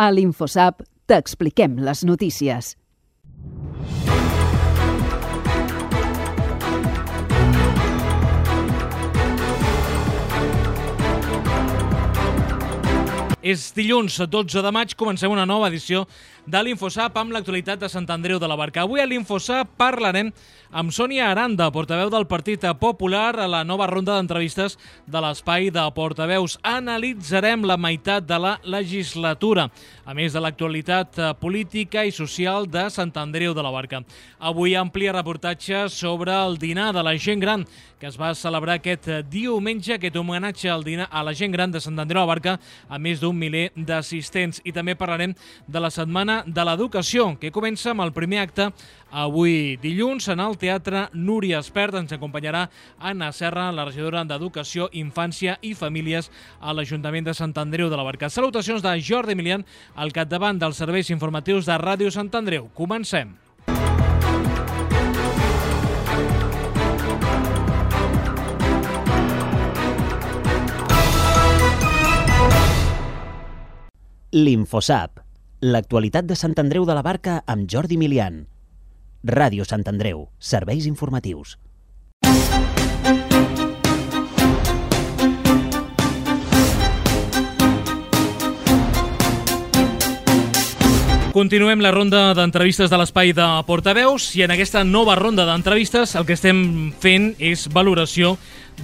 A l'InfoSap t'expliquem les notícies. És dilluns 12 de maig, comencem una nova edició de l'InfoSap amb l'actualitat de Sant Andreu de la Barca. Avui a l'InfoSap parlarem amb Sònia Aranda, portaveu del Partit Popular, a la nova ronda d'entrevistes de l'Espai de Portaveus. Analitzarem la meitat de la legislatura, a més de l'actualitat política i social de Sant Andreu de la Barca. Avui ampli reportatge sobre el dinar de la gent gran, que es va celebrar aquest diumenge, aquest homenatge al dinar a la gent gran de Sant Andreu de la Barca, a més d'un miler d'assistents. I també parlarem de la Setmana de l'Educació, que comença amb el primer acte avui dilluns en el Teatre Núria Espert. Ens acompanyarà Anna Serra, la regidora d'Educació, Infància i Famílies a l'Ajuntament de Sant Andreu de la Barca. Salutacions de Jordi Emilian, al capdavant dels serveis informatius de Ràdio Sant Andreu. Comencem. L'InfoSap, l'actualitat de Sant Andreu de la Barca amb Jordi Emilian. Ràdio Sant Andreu, serveis informatius. Continuem la ronda d'entrevistes de l'Espai de Portaveus i en aquesta nova ronda d'entrevistes el que estem fent és valoració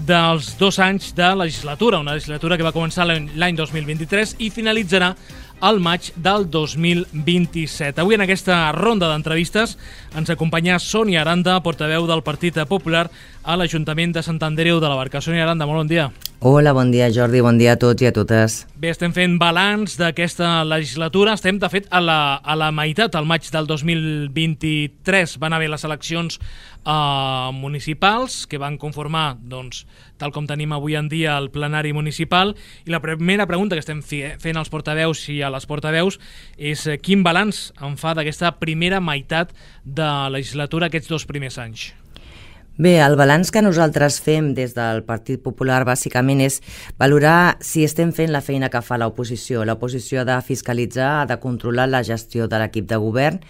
dels 2 anys de legislatura, una legislatura que va començar l'any 2023 i finalitzarà al maig del 2027. Avui en aquesta ronda d'entrevistes ens acompanya Sònia Aranda, portaveu del Partit Popular a l'Ajuntament de Sant Andreu de la Barca. Sònia Aranda, molt bon dia. Hola, bon dia Jordi, bon dia a tots i a totes. Bé, estem fent balanç d'aquesta legislatura, estem de fet a la meitat, al maig del 2023 van haver les eleccions municipals que van conformar, doncs, tal com tenim avui en dia el plenari municipal, i la primera pregunta que estem fent als portaveus i a les portaveus és quin balanç en fa d'aquesta primera meitat de legislatura, aquests 2 primers anys? Bé, el balanç que nosaltres fem des del Partit Popular bàsicament és valorar si estem fent la feina que fa l'oposició. L'oposició ha de fiscalitzar, ha de controlar la gestió de l'equip de govern,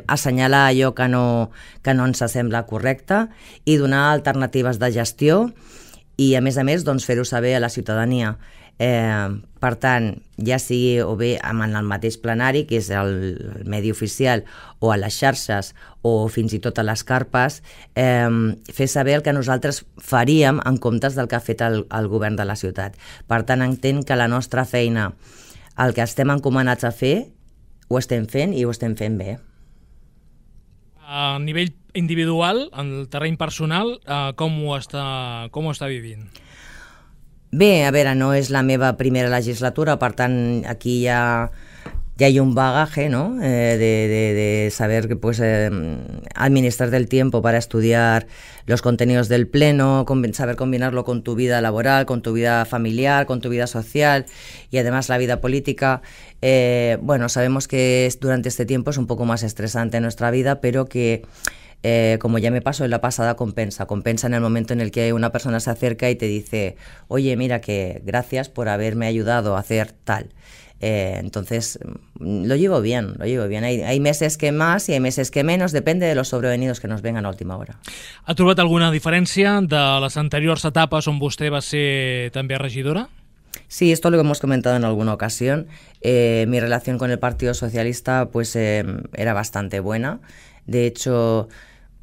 assenyalar allò que no ens sembla correcte i donar alternatives de gestió i, a més, doncs, fer-ho saber a la ciutadania. Per tant, ja sigui o bé en el mateix plenari, que és el medi oficial, o a les xarxes, o fins i tot a les carpes, fer saber el que nosaltres faríem en comptes del que ha fet el govern de la ciutat. Per tant, entenc que la nostra feina, el que estem encomanats a fer, ho estem fent i ho estem fent bé. A nivell individual, en el terreny personal, com ho està vivint? Bé, a veure, no és la meva primera legislatura, per tant, aquí ja hay un bagaje, ¿no? De saber que administrar el tiempo para estudiar los contenidos del pleno, saber combinarlo con tu vida laboral, con tu vida familiar, con tu vida social y además la vida política. Bueno, sabemos que durante este tiempo es un poco más estresante en nuestra vida, pero que como ya me pasó en la pasada, compensa en el momento en el que una persona se acerca y te dice, oye, mira, que gracias por haberme ayudado a hacer tal. Entonces, lo llevo bien. Hay meses que más y hay meses que menos, depende de los sobrevenidos que nos vengan a última hora. Ha trobat alguna diferència de les anteriors etapes on vostè va ser també regidora? Sí, esto lo hemos comentado en alguna ocasión. Mi relación con el Partido Socialista era bastante buena. De hecho,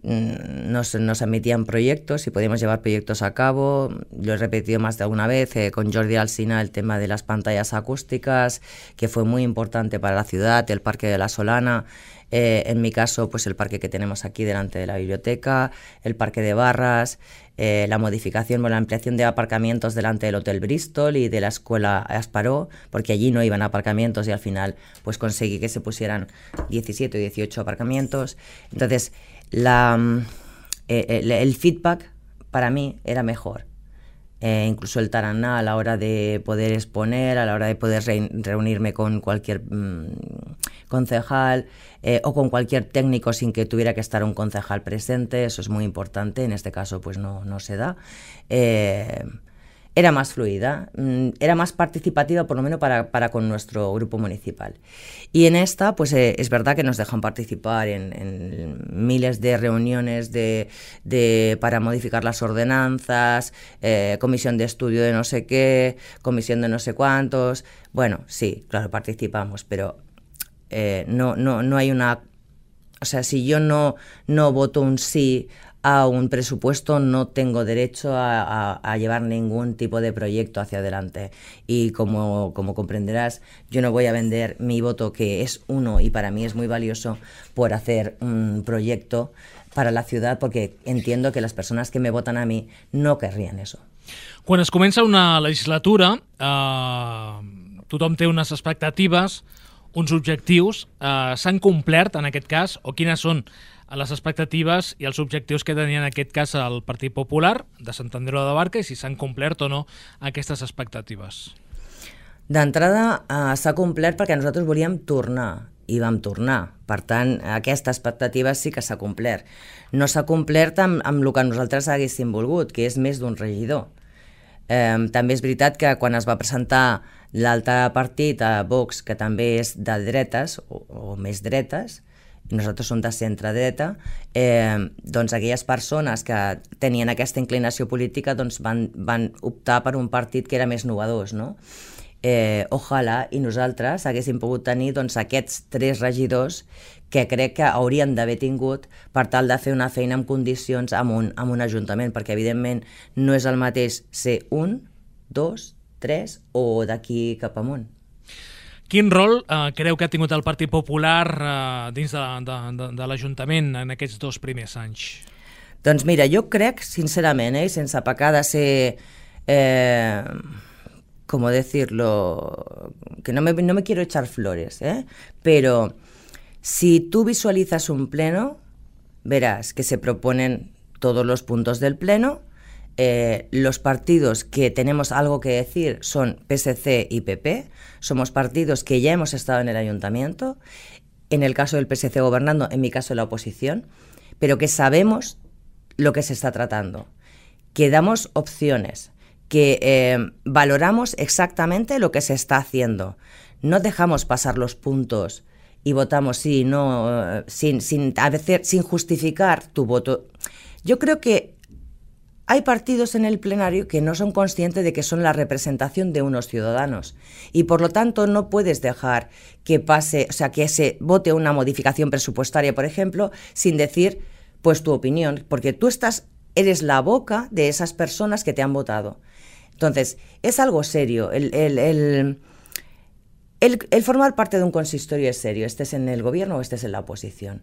nos emitían proyectos y podíamos llevar proyectos a cabo. Lo he repetido más de alguna vez con Jordi Alsina, el tema de las pantallas acústicas, que fue muy importante para la ciudad, el Parque de la Solana, en mi caso el parque que tenemos aquí delante de la biblioteca, el Parque de Barras, la modificación o la ampliación de aparcamientos delante del Hotel Bristol y de la Escuela Asparó, porque allí no iban aparcamientos y al final conseguí que se pusieran 17 o 18 aparcamientos. Entonces, el feedback para mí era mejor. Incluso el taraná a la hora de poder exponer, a la hora de poder reunirme con cualquier concejal o con cualquier técnico sin que tuviera que estar un concejal presente, eso es muy importante, en este caso no se da. era más fluida, era más participativa, por lo menos para con nuestro grupo municipal. Y en esta, pues es verdad que nos dejan participar en miles de reuniones para modificar las ordenanzas, comisión de estudio de no sé qué, comisión de no sé cuántos. Bueno, sí, claro, participamos, pero no hay una... O sea, si yo no voto un sí a un presupuesto, no tengo derecho a llevar ningún tipo de proyecto hacia adelante. Y como comprenderás, yo no voy a vender mi voto, que es uno y para mí es muy valioso, por hacer un proyecto para la ciudad, porque entiendo que las personas que me votan a mí no querrían eso. Quan es comença una legislatura, tothom té unes expectatives, uns objectius. S'han complert, en aquest cas, o quines són les expectatives i els objectius que tenia en aquest cas el Partit Popular de Sant Andreu de la Barca, i si s'han complert o no aquestes expectatives? D'entrada, s'ha complert perquè nosaltres volíem tornar, i vam tornar. Per tant, aquesta expectativa sí que s'ha complert. No s'ha complert amb el que nosaltres haguéssim volgut, que és més d'un regidor. També és veritat que quan es va presentar l'altre partit, Vox, que també és de dretes, o més dretes, nosaltres som de centre-dreta, doncs aquelles persones que tenien aquesta inclinació política doncs van optar per un partit que era més novedós, no? Ojalà i nosaltres haguéssim pogut tenir doncs, aquests 3 regidors que crec que haurien d'haver tingut per tal de fer una feina en condicions amb un ajuntament, perquè evidentment no és el mateix ser 1, 2, 3 o d'aquí cap amunt. Quin rol creu que ha tingut el Partit Popular dins de l'Ajuntament en aquests 2 primers anys? Doncs mira, jo crec, sincerament, sense pecar de ser... ¿cómo decirlo? Que no me quiero echar flores, pero si tú visualizas un pleno, verás que se proponen todos los puntos del pleno. Los partidos que tenemos algo que decir son PSC y PP. Somos partidos que ya hemos estado en el ayuntamiento, en el caso del PSC gobernando, en mi caso la oposición, pero que sabemos lo que se está tratando, que damos opciones, que valoramos exactamente lo que se está haciendo. No dejamos pasar los puntos y votamos sí, no, sin justificar tu voto. Yo creo que hay partidos en el plenario que no son conscientes de que son la representación de unos ciudadanos y por lo tanto no puedes dejar que pase, o sea, que se vote una modificación presupuestaria, por ejemplo, sin decir pues tu opinión, porque tú eres la boca de esas personas que te han votado. Entonces, es algo serio. El formar parte de un consistorio es serio, estés en el gobierno o estés en la oposición.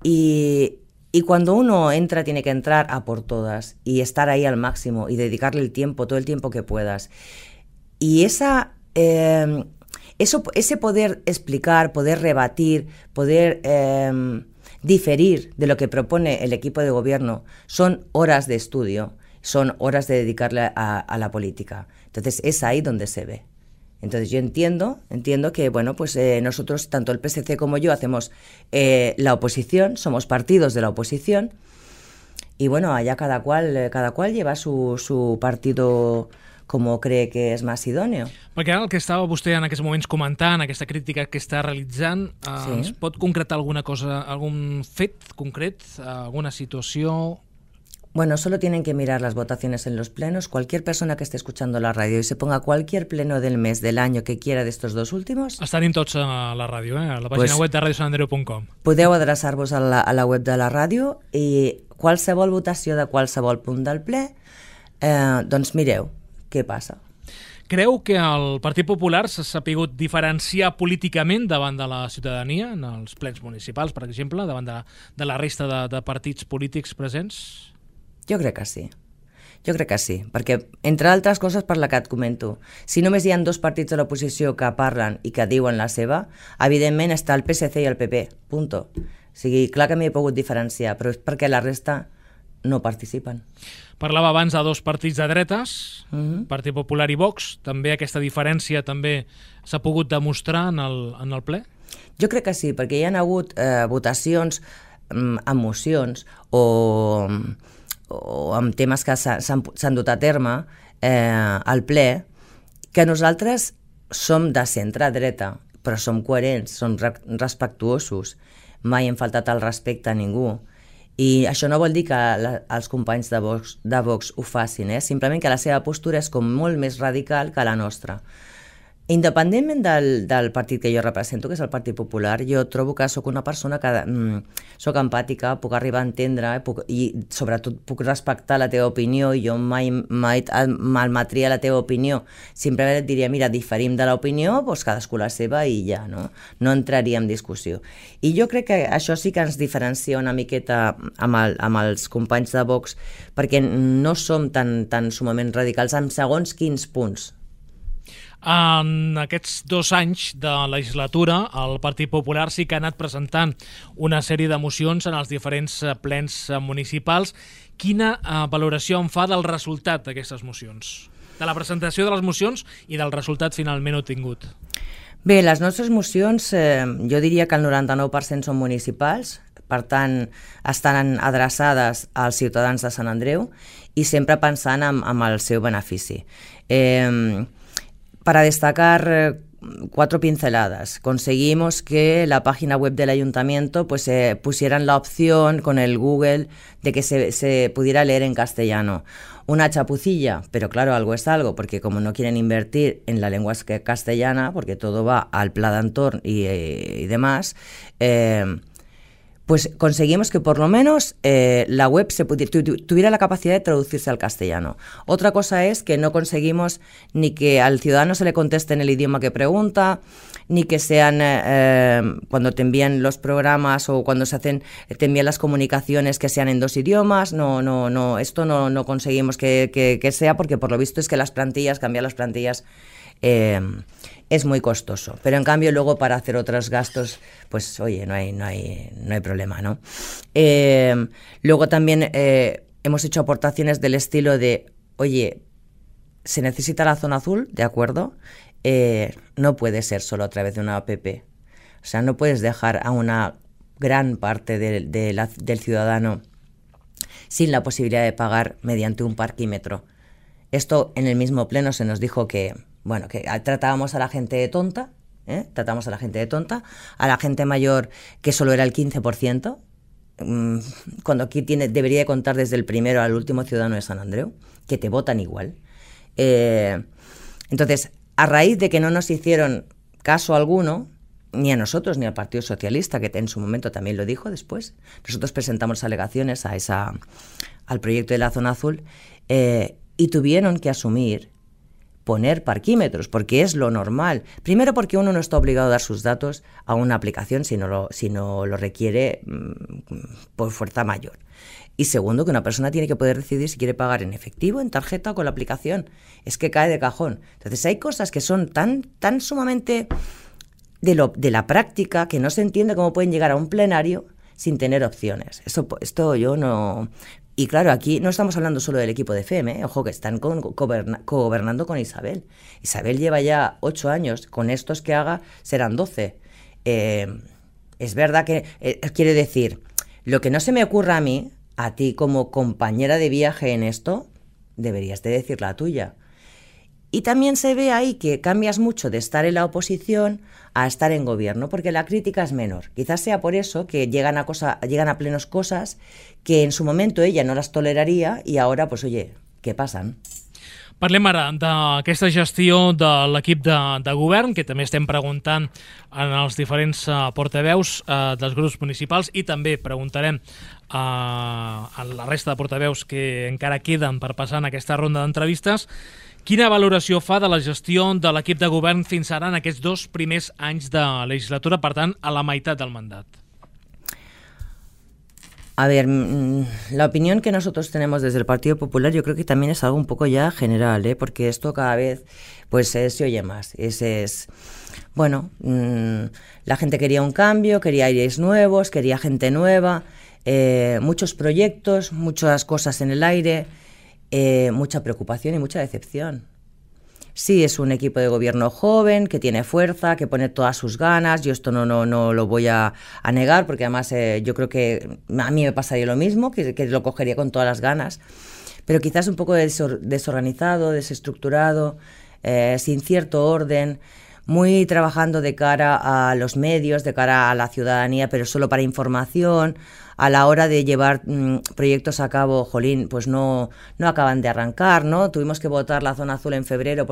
Y cuando uno entra, tiene que entrar a por todas y estar ahí al máximo y dedicarle el tiempo, todo el tiempo que puedas. Y ese poder explicar, poder rebatir, poder diferir de lo que propone el equipo de gobierno son horas de estudio, son horas de dedicarle a la política. Entonces es ahí donde se ve. Entonces yo entiendo que bueno, pues nosotros, tanto el PSC como yo, hacemos la oposición, somos partidos de la oposición, y bueno, allá cada cual lleva su partido com cree que és més idòneo. Perquè ara el que estava vostè en aquests moments comentant, aquesta crítica que està realitzant, sí. ¿Ens pot concretar alguna cosa, algún fet concret, alguna situació? Bueno, solo tienen que mirar las votaciones en los plenos. Cualquier persona que esté escuchando la radio y se ponga cualquier pleno del mes, del año que quiera de estos 2 últimos... Estan tots a la ràdio, a la pàgina web de radiosantandreu.com. Podeu adreçar-vos a la web de la ràdio i qualsevol votació de qualsevol punt del ple, doncs mireu què passa. Creu que el Partit Popular s'ha sapigut diferenciar políticament davant de la ciutadania, en els plens municipals, per exemple, davant de la resta de partits polítics presents? Jo crec que sí. Jo crec que sí, perquè, entre altres coses, per la que et comento, si només hi ha 2 partits de l'oposició que parlen i que diuen la seva, evidentment està el PSC i el PP, punto. O sigui, clar que m'hi he pogut diferenciar, però és perquè la resta no participen. Parlava abans de 2 partits de dretes, Partit Popular i Vox. També aquesta diferència també s'ha pogut demostrar en el ple? Jo crec que sí, perquè hi ha hagut votacions amb mocions o amb temes que s'han dut a terme al ple, que nosaltres som de centre-dreta, però som coherents, som respectuosos, mai hem faltat el respecte a ningú. I això no vol dir que els companys de Vox ho facin, simplement que la seva postura és com molt més radical que la nostra. Independentment del partit que jo represento, que és el Partit Popular, jo trobo que sóc una persona que sóc empàtica, puc arribar a entendre i sobretot puc respectar la teva opinió, i jo mai malmetria la teva opinió. Simplement et diria, mira, diferim de l'opinió, doncs cadascú la seva i ja, no entraria en discussió. I jo crec que això sí que ens diferencia una miqueta amb els companys de Vox, perquè no som tan sumament radicals en segons quins punts. En aquests 2 anys de legislatura, el Partit Popular sí que ha anat presentant una sèrie de mocions en els diferents plens municipals. Quina valoració en fa del resultat d'aquestes mocions? De la presentació de les mocions i del resultat finalment obtingut? Bé, les nostres mocions, jo diria que el 99% són municipals, per tant, estan adreçades als ciutadans de Sant Andreu i sempre pensant en el seu benefici. Para destacar 4 pinceladas. Conseguimos que la página web del ayuntamiento pusieran la opción con el Google de que se pudiera leer en castellano. Una chapucilla, pero claro, algo es algo, porque como no quieren invertir en la lengua castellana, porque todo va al pla d'entorn y demás, pues conseguimos que por lo menos la web tuviera la capacidad de traducirse al castellano. Otra cosa es que no conseguimos ni que al ciudadano se le conteste en el idioma que pregunta, ni que sean, cuando te envían los programas o cuando te envían las comunicaciones, que sean en 2 idiomas. No, esto no conseguimos que sea, porque por lo visto es que cambiar las plantillas es muy costoso, pero en cambio luego para hacer otros gastos, pues oye, no hay problema, ¿no? Luego también hemos hecho aportaciones del estilo de, oye, se necesita la zona azul, ¿de acuerdo? No puede ser solo a través de una app. O sea, no puedes dejar a una gran parte del ciudadano sin la posibilidad de pagar mediante un parquímetro. Esto en el mismo pleno se nos dijo que tratábamos a la gente tonta, a la gente mayor que solo era el 15%, cuando aquí debería de contar desde el primero al último ciudadano de San Andreu, que te votan igual. Entonces, a raíz de que no nos hicieron caso alguno, ni a nosotros ni al Partido Socialista, que en su momento también lo dijo después, nosotros presentamos alegaciones al proyecto de la zona azul y tuvieron que poner parquímetros, porque es lo normal. Primero, porque uno no está obligado a dar sus datos a una aplicación si no lo requiere por fuerza mayor. Y segundo, que una persona tiene que poder decidir si quiere pagar en efectivo, en tarjeta o con la aplicación. Es que cae de cajón. Entonces hay cosas que son tan sumamente de la práctica que no se entiende cómo pueden llegar a un plenario sin tener opciones. Esto yo no... Y claro, aquí no estamos hablando solo del equipo de FEM, ojo, que están cogobernando con Isabel. Isabel lleva ya 8 años, con estos que haga serán 12. Es verdad que, quiere decir, lo que no se me ocurra a mí, a ti como compañera de viaje en esto, deberías de decir la tuya. Y también se ve ahí que cambias mucho de estar en la oposición a estar en gobierno, porque la crítica es menor. Quizás sea por eso que llegan a plenos cosas que en su momento ella no las toleraria i ara, pues, oye, què passen? Parlem ara d'aquesta gestió de l'equip de govern, que també estem preguntant en els diferents portaveus dels grups municipals, i també preguntarem a la resta de portaveus que encara queden per passar en aquesta ronda d'entrevistes. Quina valoració fa de la gestió de l'equip de govern fins ara en aquests 2 primers anys de legislatura, per tant, a la meitat del mandat? A ver, la opinión que nosotros tenemos desde el Partido Popular yo creo que también es algo un poco ya general, porque esto cada vez pues se oye más. La gente quería un cambio, quería aires nuevos, quería gente nueva, muchos proyectos, muchas cosas en el aire, mucha preocupación y mucha decepción. Sí, es un equipo de gobierno joven, que tiene fuerza, que pone todas sus ganas. Yo esto no lo voy a negar, porque además yo creo que a mí me pasaría lo mismo, que lo cogería con todas las ganas. pero quizás un poco desorganizado, desestructurado, sin cierto orden, muy trabajando de cara a los medios, de cara a la ciudadanía, pero solo para información. A la hora de llevar proyectos a cabo, jolín, pues no acaban de arrancar, ¿no? Tuvimos que votar la zona azul en febrero,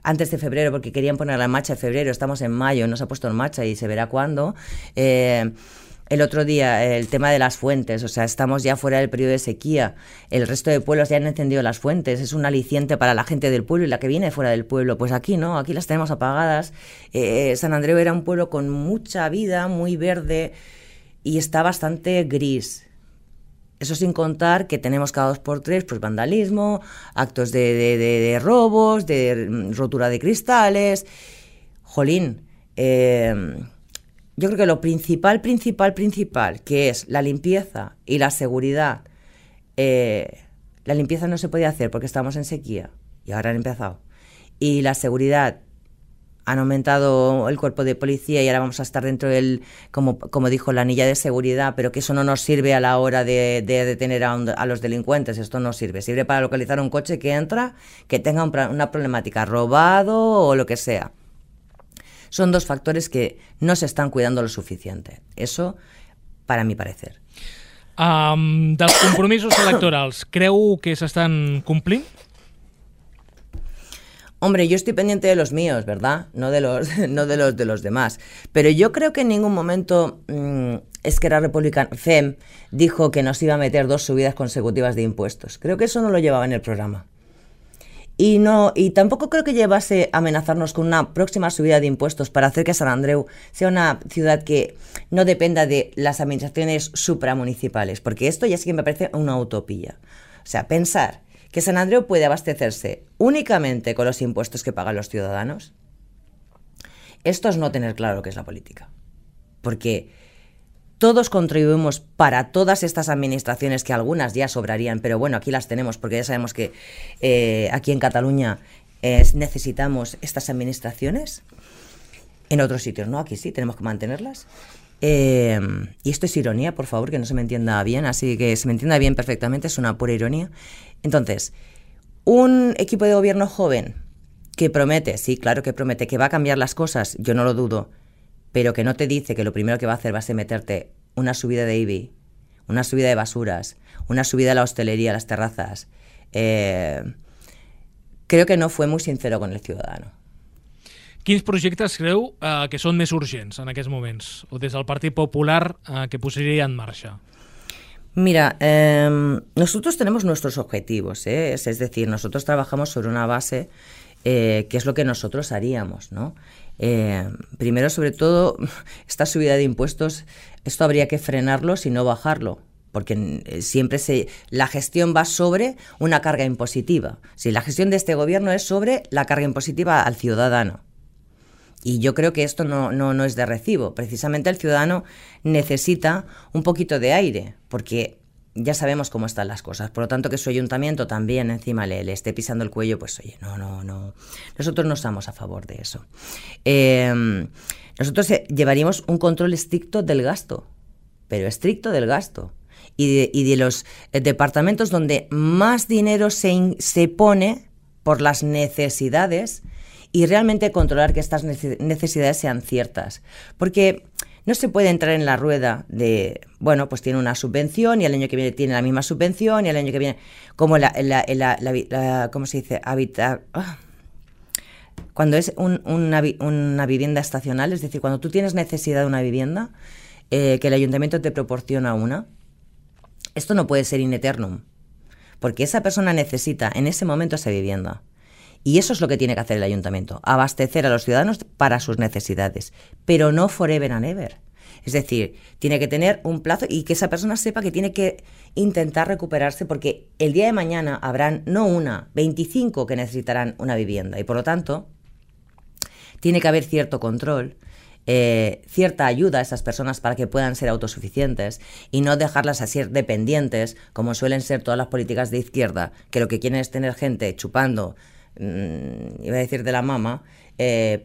antes de febrero, porque querían ponerla en marcha en febrero. Estamos en mayo, no se ha puesto en marcha y se verá cuándo. El otro día, el tema de las fuentes, o sea, estamos ya fuera del periodo de sequía. El resto de pueblos ya han encendido las fuentes, es un aliciente para la gente del pueblo y la que viene fuera del pueblo. Pues aquí no, aquí las tenemos apagadas. Sant Andreu era un pueblo con mucha vida, muy verde, y está bastante gris. Eso sin contar que tenemos cada 2 por 3 pues vandalismo, actos de robos, de rotura de cristales. Jolín, yo creo que lo principal, que es la limpieza y la seguridad. La limpieza no se podía hacer porque estábamos en sequía y ahora han empezado. Y la seguridad, han aumentado el cuerpo de policía y ahora vamos a estar dentro del, como dijo, la anilla de seguridad, pero que eso no nos sirve a la hora de detener a los delincuentes. Esto no sirve. Sirve para localizar un coche que entra, que tenga una problemática, robado o lo que sea. Son 2 factores que no se estan cuidando lo suficiente. Eso, para mi parecer. Dels compromisos electorals, creu que s'estan complint? Hombre, yo estoy pendiente de los míos, ¿verdad? No de los demás. Pero yo creo que en ningún momento Esquerra Republicana, FEM, dijo que nos iba a meter 2 subidas consecutivas de impuestos. Creo que eso no lo llevaba en el programa. Y tampoco creo que llevase a amenazarnos con una próxima subida de impuestos para hacer que Sant Andreu sea una ciudad que no dependa de las administraciones supramunicipales, porque esto ya sí que me parece una utopía. O sea, pensar que Sant Andreu puede abastecerse únicamente con los impuestos que pagan los ciudadanos, esto es no tener claro lo que es la política. Porque todos contribuimos para todas estas administraciones, que algunas ya sobrarían, pero bueno, aquí las tenemos porque ya sabemos que aquí en Cataluña necesitamos estas administraciones. En otros sitios no, aquí sí, tenemos que mantenerlas. Y esto es ironía, por favor, que no se me entienda bien, así que se me entienda bien perfectamente, es una pura ironía. Entonces, un equipo de gobierno joven que promete, sí, claro que promete, que va a cambiar las cosas, yo no lo dudo, pero que no te dice que lo primero que va a hacer va a ser meterte una subida de IBI, una subida de basuras, una subida a la hostelería, a las terrazas. Creo que no fue muy sincero con el ciudadano. Quins projectes creu que són més urgents en aquests moments? O des del Partit Popular que posaria en marxa? Mira, nosotros tenemos nuestros objetivos, es decir, nosotros trabajamos sobre una base que es lo que nosotros haríamos, ¿no? Primero, sobre todo, esta subida de impuestos, esto habría que frenarlo y no bajarlo, porque siempre la gestión va sobre una carga impositiva. Si la gestión de este gobierno es sobre la carga impositiva al ciudadano. Y yo creo que esto no es de recibo. Precisamente el ciudadano necesita un poquito de aire, porque ya sabemos cómo están las cosas. Por lo tanto, que su ayuntamiento también encima le esté pisando el cuello, pues oye, no. Nosotros no estamos a favor de eso. Nosotros llevaríamos un control estricto del gasto, pero estricto del gasto. Y de los departamentos donde más dinero se pone por las necesidades, y realmente controlar que estas necesidades sean ciertas. Porque no se puede entrar en la rueda de, bueno, pues tiene una subvención y el año que viene tiene la misma subvención y el año que viene, como ¿cómo se dice? Cuando es una vivienda estacional, es decir, cuando tú tienes necesidad de una vivienda, que el ayuntamiento te proporciona una, esto no puede ser in eternum, porque esa persona necesita en ese momento esa vivienda. Y eso es lo que tiene que hacer el ayuntamiento, abastecer a los ciudadanos para sus necesidades, pero no forever and ever. Es decir, tiene que tener un plazo y que esa persona sepa que tiene que intentar recuperarse, porque el día de mañana habrán no 25 que necesitarán una vivienda, y por lo tanto tiene que haber cierto control, cierta ayuda a esas personas para que puedan ser autosuficientes y no dejarlas así dependientes, como suelen ser todas las políticas de izquierda, que lo que quieren es tener gente chupando, iba a decir de la mama,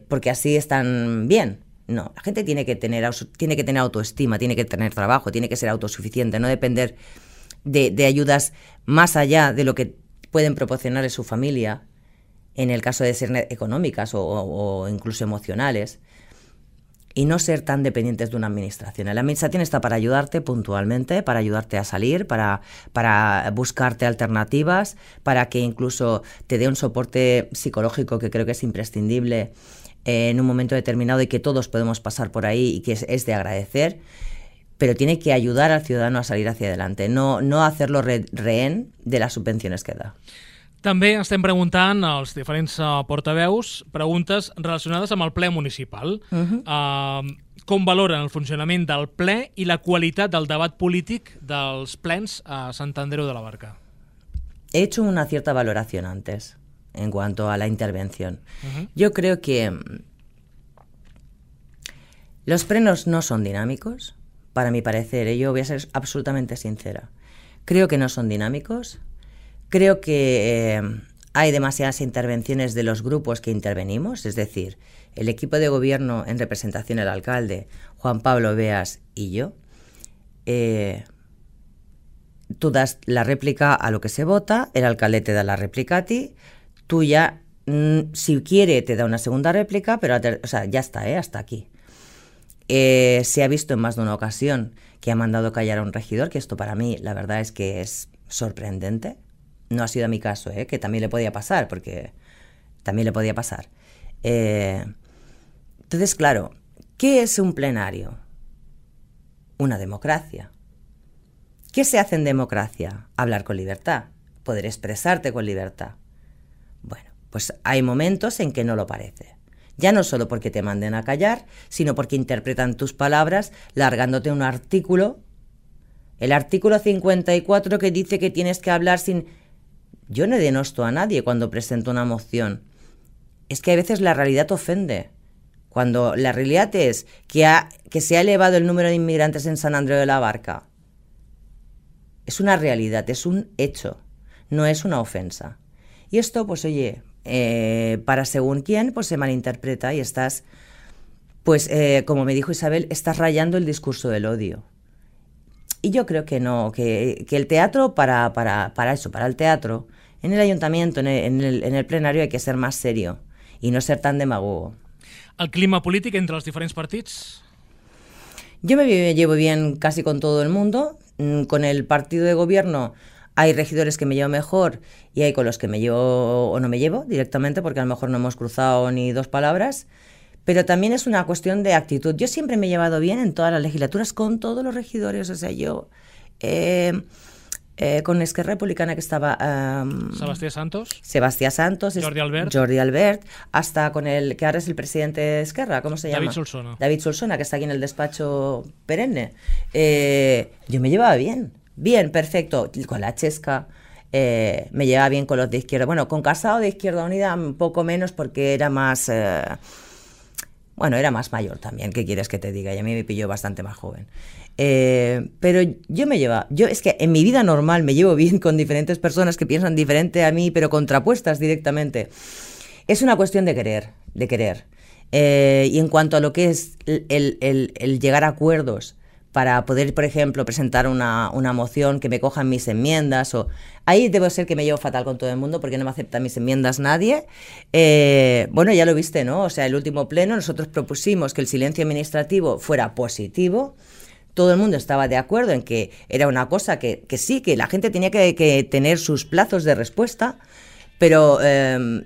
porque así están bien. No, la gente tiene que tener autoestima, tiene que tener trabajo, tiene que ser autosuficiente, no depender de ayudas más allá de lo que pueden proporcionarle su familia, en el caso de ser económicas o incluso emocionales, y no ser tan dependientes de una administración. La administración está para ayudarte puntualmente, para ayudarte a salir, para buscarte alternativas, para que incluso te dé un soporte psicológico que creo que es imprescindible en un momento determinado y que todos podemos pasar por ahí y que es de agradecer, pero tiene que ayudar al ciudadano a salir hacia adelante, no hacerlo rehén de las subvenciones que da. També estem preguntant als diferents portaveus preguntes relacionades amb el ple municipal. Com valoren el funcionament del ple i la qualitat del debat polític dels plens a Sant Andreu de la Barca? He hecho una cierta valoración antes en cuanto a la intervención. Yo creo que los plenos no son dinámicos, para mi parecer, yo voy a ser absolutamente sincera. Creo que no son dinámicos. Creo que hay demasiadas intervenciones de los grupos que intervenimos, es decir, el equipo de gobierno en representación del alcalde, Juan Pablo Beas y yo. Tú das la réplica a lo que se vota, el alcalde te da la réplica a ti, tú ya, si quiere, te da una segunda réplica, pero ya está, hasta aquí. Se ha visto en más de una ocasión que ha mandado callar a un regidor, que esto para mí la verdad es que es sorprendente. No ha sido mi caso, que también le podía pasar, porque también le podía pasar. Entonces, claro, ¿qué es un plenario? Una democracia. ¿Qué se hace en democracia? Hablar con libertad, poder expresarte con libertad. Bueno, pues hay momentos en que no lo parece. Ya no solo porque te manden a callar, sino porque interpretan tus palabras largándote un artículo. El artículo 54 que dice que tienes que hablar sin... Yo no denosto a nadie cuando presento una moción. Es que a veces la realidad ofende. Cuando la realidad es que se ha elevado el número de inmigrantes en San Andreu de la Barca. Es una realidad, es un hecho, no es una ofensa. Y esto, pues oye, para según quién, pues se malinterpreta y estás, pues como me dijo Isabel, estás rayando el discurso del odio. Y yo creo que no, que el teatro, para eso, para el teatro, en el ayuntamiento, en el plenario hay que ser más serio y no ser tan demagogo. El clima polític entre els diferents partits? Yo me llevo bien casi con todo el mundo. Con el partido de gobierno hay regidores que me llevo mejor y hay con los que me llevo o no me llevo directamente porque a lo mejor no hemos cruzado ni dos palabras. Pero también es una cuestión de actitud. Yo siempre me he llevado bien en todas las legislaturas con todos los regidores. O sea, yo con Esquerra Republicana que estaba... Sebastián Santos. Jordi Albert. Hasta con el que ahora es el presidente de Esquerra, ¿cómo se llama? David Solsona, que está aquí en el despacho perenne. Yo me llevaba bien. Bien, perfecto. Con la Chesca... me llevaba bien con los de Izquierda. Bueno, con Casado de Izquierda Unida un poco menos porque era más... era más mayor también, ¿qué quieres que te diga? Y a mí me pilló bastante más joven. Pero yo es que en mi vida normal me llevo bien con diferentes personas que piensan diferente a mí, pero contrapuestas directamente. Es una cuestión de querer. Y en cuanto a lo que es el llegar a acuerdos para poder, por ejemplo, presentar una moción que me cojan mis enmiendas, ahí debo ser que me llevo fatal con todo el mundo porque no me acepta mis enmiendas nadie. Ya lo viste, ¿no? O sea, el último pleno nosotros propusimos que el silencio administrativo fuera positivo. Todo el mundo estaba de acuerdo en que era una cosa que sí, que la gente tenía que tener sus plazos de respuesta, pero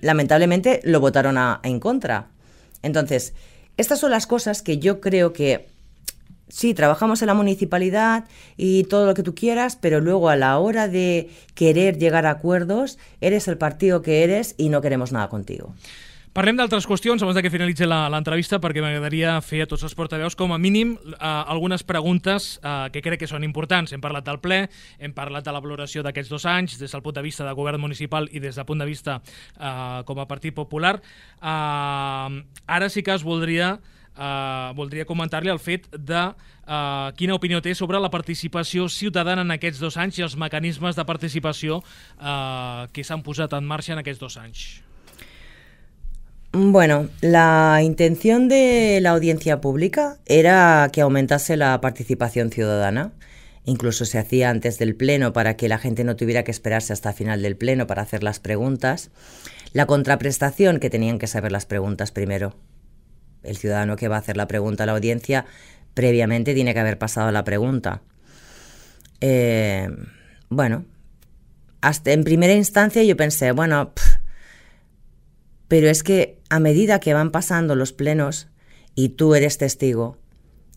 lamentablemente lo votaron en contra. Entonces, estas son las cosas que yo creo que sí, trabajamos en la municipalidad y todo lo que tú quieras, pero luego a la hora de querer llegar a acuerdos, eres el partido que eres y no queremos nada contigo. Parlem d'altres qüestions abans que finalitzi l'entrevista perquè m'agradaria fer a tots els portaveus com a mínim algunes preguntes que crec que són importants. Hem parlat del ple, hem parlat de la valoració d'aquests 2 anys des del punt de vista de govern municipal i des del punt de vista com a Partit Popular. Ara sí que voldria comentar-li el fet de quina opinió té sobre la participació ciutadana en aquests 2 anys i els mecanismes de participació que s'han posat en marxa en aquests 2 anys. Bueno, la intención de la audiencia pública era que aumentase la participación ciudadana. incluso se hacía antes del pleno para que la gente no tuviera que esperarse hasta el final del pleno para hacer las preguntas. La contraprestación, que tenían que saber las preguntas primero. El ciudadano que va a hacer la pregunta a la audiencia previamente tiene que haber pasado la pregunta. Bueno, hasta en primera instancia yo pensé, bueno, pero es que a medida que van pasando los plenos y tú eres testigo,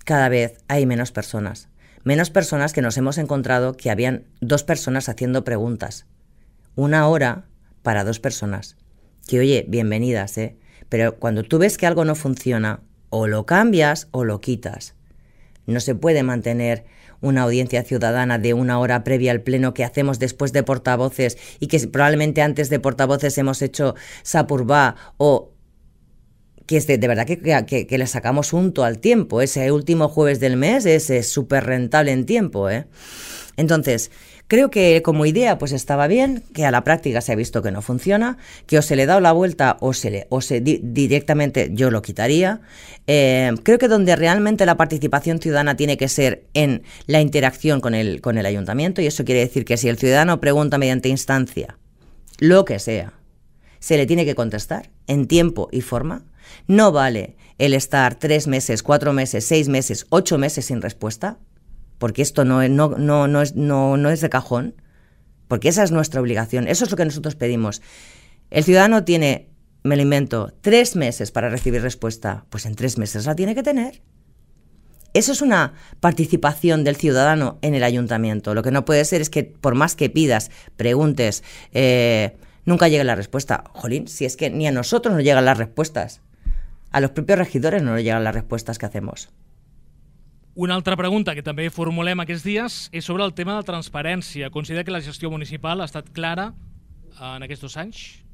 cada vez hay menos personas. Menos personas que nos hemos encontrado que habían 2 personas haciendo preguntas. 1 hora para 2 personas. Que oye, bienvenidas, pero cuando tú ves que algo no funciona, o lo cambias o lo quitas. No se puede mantener una audiencia ciudadana de 1 hora previa al pleno que hacemos después de portavoces y que probablemente antes de portavoces hemos hecho Sapurvá o que es de verdad que le sacamos unto al tiempo. Ese último jueves del mes es súper rentable en tiempo. Entonces, creo que como idea pues estaba bien, que a la práctica se ha visto que no funciona, que o se le da la vuelta o directamente yo lo quitaría. Creo que donde realmente la participación ciudadana tiene que ser en la interacción con el ayuntamiento, y eso quiere decir que si el ciudadano pregunta mediante instancia, lo que sea, se le tiene que contestar en tiempo y forma. No vale el estar 3 meses, 4 meses, 6 meses, 8 meses sin respuesta, porque esto no es de cajón, porque esa es nuestra obligación, eso es lo que nosotros pedimos. El ciudadano tiene, me lo invento, 3 meses para recibir respuesta, pues en 3 meses la tiene que tener. Eso es una participación del ciudadano en el ayuntamiento. Lo que no puede ser es que por más que pidas, preguntes, nunca llegue la respuesta. Jolín, si es que ni a nosotros nos llegan las respuestas. A los propios regidores no nos llegan las respuestas que hacemos. Una altra pregunta que també formulem aquests dies és sobre el tema de la transparència. Considera que la gestió municipal ha estat clara en aquests 2 anys?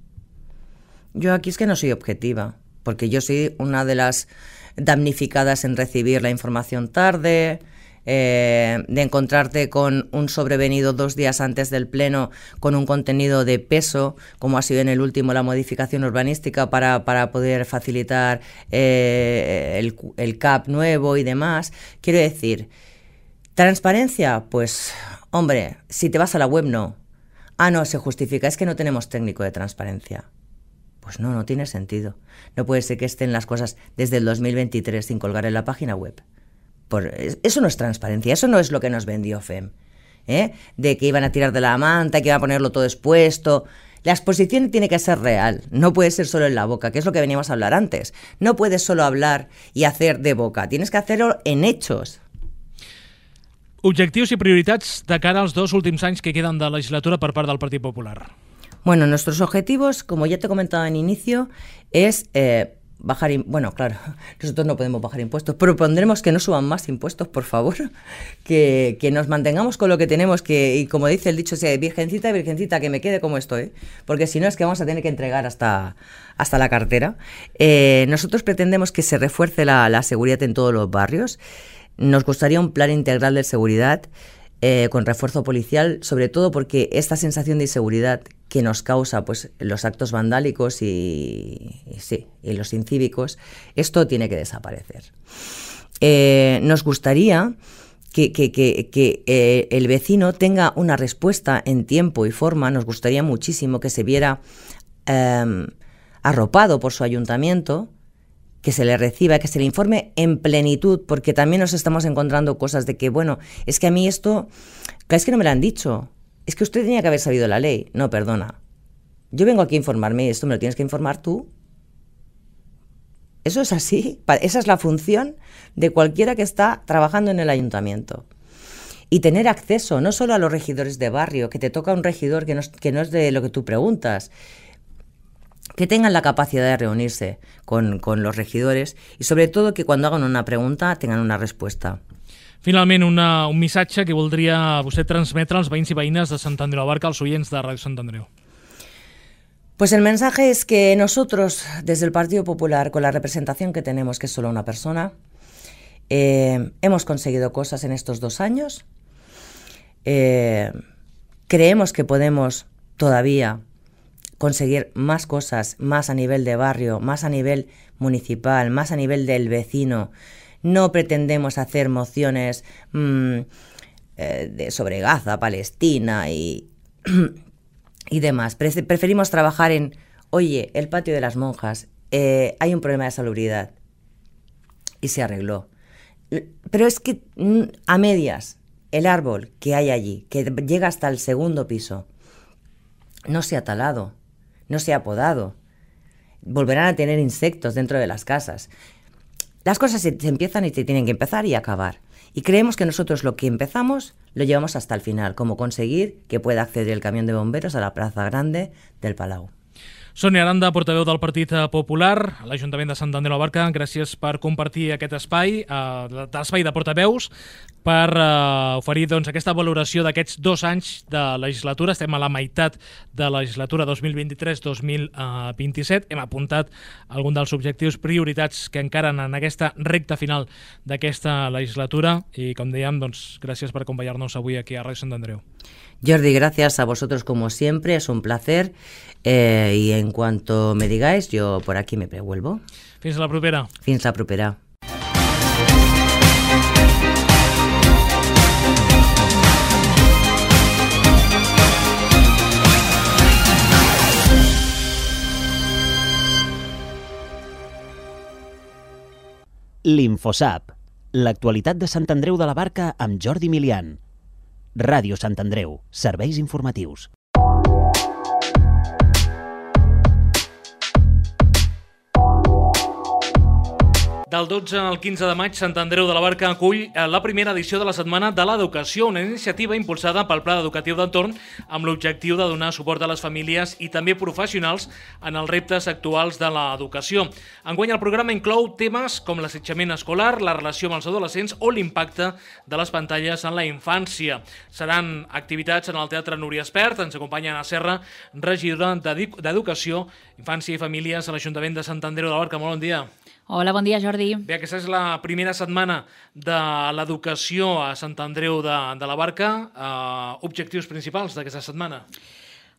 Yo aquí es que no soy objetiva, porque yo soy una de las damnificadas en recibir la información tarde, de encontrarte con un sobrevenido 2 días antes del pleno con un contenido de peso, como ha sido en el último la modificación urbanística para poder facilitar el CAP nuevo y demás. Quiero decir, transparencia, pues hombre, si te vas a la web no. No, se justifica, es que no tenemos técnico de transparencia. Pues no tiene sentido. No puede ser que estén las cosas desde el 2023 sin colgar en la página web. Eso no es transparencia, eso no es lo que nos vendió FEM, de que iban a tirar de la manta, que iban a ponerlo todo expuesto. La exposición tiene que ser real, no puede ser solo en la boca, que es lo que veníamos a hablar antes. No puedes solo hablar y hacer de boca, tienes que hacerlo en hechos. Objectius i prioritats de cara als 2 últims anys que queden de legislatura per part del Partit Popular. Bueno, nuestros objetivos, como ya te he comentado en inicio, es bueno, claro, nosotros no podemos bajar impuestos, propondremos que no suban más impuestos, por favor, que nos mantengamos con lo que tenemos, y como dice el dicho, virgencita, virgencita, que me quede como estoy, porque si no es que vamos a tener que entregar hasta la cartera. Nosotros pretendemos que se refuerce la seguridad en todos los barrios. Nos gustaría un plan integral de seguridad con refuerzo policial, sobre todo porque esta sensación de inseguridad que nos causa pues los actos vandálicos y los incívicos, esto tiene que desaparecer. Nos gustaría que el vecino tenga una respuesta en tiempo y forma. Nos gustaría muchísimo que se viera arropado por su ayuntamiento, que se le reciba, que se le informe en plenitud, porque también nos estamos encontrando cosas de que, bueno, es que a mí esto, es que no me lo han dicho, es que usted tenía que haber sabido la ley. No, perdona, yo vengo aquí a informarme y esto me lo tienes que informar tú. Eso es así, esa es la función de cualquiera que está trabajando en el ayuntamiento. Y tener acceso no solo a los regidores de barrio, que te toca un regidor que no es de lo que tú preguntas, que tengan la capacidad de reunirse con los regidores y sobre todo que cuando hagan una pregunta tengan una respuesta. Finalment, un missatge que voldria vostè transmetre als veïns i veïnes de Sant Andreu de la Barca, als oients de Ràdio Sant Andreu. Pues el mensaje es que nosotros, desde el Partido Popular, con la representación que tenemos, que es solo una persona, hemos conseguido cosas en estos 2 años. Creemos que podemos todavía conseguir más cosas, más a nivel de barrio, más a nivel municipal, más a nivel del vecino. No pretendemos hacer mociones sobre Gaza, Palestina y demás. Preferimos trabajar en, oye, el patio de las monjas, hay un problema de salubridad y se arregló. Pero es que a medias, el árbol que hay allí, que llega hasta el segundo piso, no se ha talado, no se ha podado. Volverán a tener insectos dentro de las casas. Las cosas se empiezan y se tienen que empezar y acabar. Y creemos que nosotros lo que empezamos lo llevamos hasta el final, como conseguir que pueda acceder el camión de bomberos a la plaza grande del Palau. Sònia Aranda, portaveu del Partit Popular a l'Ajuntament de Sant Andreu de la Barca, gràcies per compartir aquest espai, l'espai de portaveus, per oferir aquesta valoració d'aquests 2 anys de legislatura. Estem a la meitat de la legislatura 2023-2027. Hem apuntat algun dels objectius prioritats que encaren en aquesta recta final d'aquesta legislatura i, com dèiem, gràcies per acompanyar-nos avui aquí a Ràdio Sant Andreu. Jordi, gracias a vosotros como siempre, es un placer y en cuanto me digáis, yo por aquí me prevuelvo. Fins la propera. Fins la propera. L'Infosap, l'actualitat de Sant Andreu de la Barca amb Jordi Milian. Ràdio Sant Andreu, serveis informatius. Del 12 al 15 de maig, Sant Andreu de la Barca acull la primera edició de la Setmana de l'Educació, una iniciativa impulsada pel Pla Educatiu d'Entorn amb l'objectiu de donar suport a les famílies i també professionals en els reptes actuals de l'educació. Enguany el programa inclou temes com l'assetjament escolar, la relació amb els adolescents o l'impacte de les pantalles en la infància. Seran activitats en el Teatre Núria Espert. Ens acompanya Anna Serra, regidora d'Educació, Infància i Famílies a l'Ajuntament de Sant Andreu de la Barca. Molt bon dia. Hola, bon dia, Jordi. Bé, aquesta és la primera setmana de l'educació a Sant Andreu de la Barca. Objectius principals d'aquesta setmana?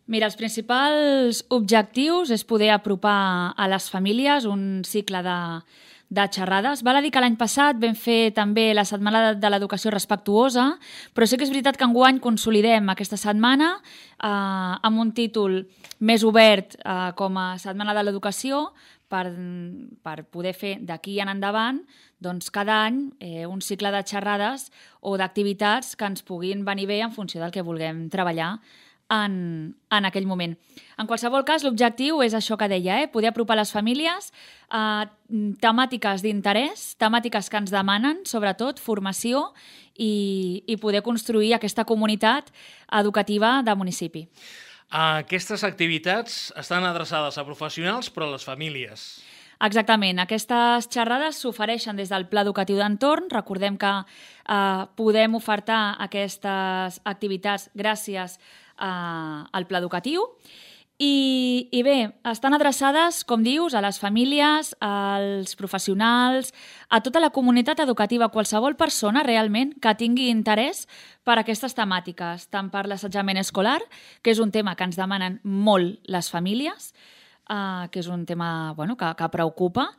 Mira, els principals objectius és poder apropar a les famílies un cicle de xerrades. Val a dir que l'any passat vam fer també la Setmana de l'Educació Respectuosa, però sí que és veritat que enguany consolidem aquesta setmana amb un títol més obert com a Setmana de l'Educació, per poder fer d'aquí en endavant cada any un cicle de xerrades o d'activitats que ens puguin venir bé en funció del que vulguem treballar en aquell moment. En qualsevol cas, l'objectiu és això que deia, poder apropar les famílies a temàtiques d'interès, temàtiques que ens demanen, sobretot formació i poder construir aquesta comunitat educativa de municipi. Aquestes activitats estan adreçades a professionals però a les famílies. Exactament. Aquestes xerrades s'ofereixen des del Pla Educatiu d'Entorn. Recordem que podem ofertar aquestes activitats gràcies al Pla Educatiu. I bé, estan adreçades, com dius, a les famílies, als professionals, a tota la comunitat educativa, qualsevol persona realment que tingui interès per aquestes temàtiques, tant per l'assetjament escolar, que és un tema que ens demanen molt les famílies, que és un tema que preocupa.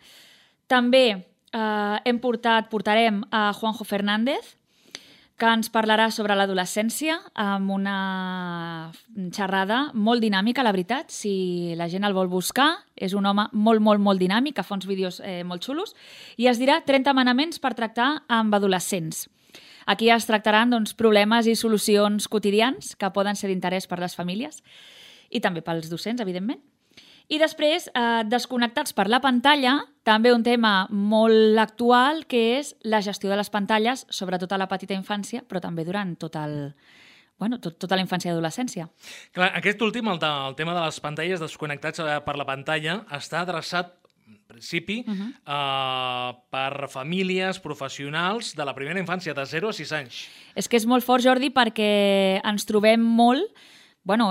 També portarem a Juanjo Fernández, que ens parlarà sobre l'adolescència amb una xerrada molt dinàmica, la veritat. Si la gent el vol buscar, és un home molt, molt, molt dinàmic, que fa uns vídeos molt xulos, i es dirà 30 manaments per tractar amb adolescents. Aquí es tractaran problemes i solucions quotidians que poden ser d'interès per les famílies i també pels docents, evidentment. I després, desconnectats per la pantalla, també un tema molt actual, que és la gestió de les pantalles, sobretot a la petita infància, però també durant tota la infància i adolescència. Clar, aquest últim, el tema de les pantalles, desconnectats per la pantalla, està adreçat, en principi, per famílies professionals de la primera infància, de 0 a 6 anys. És que és molt fort, Jordi, perquè ens trobem molt...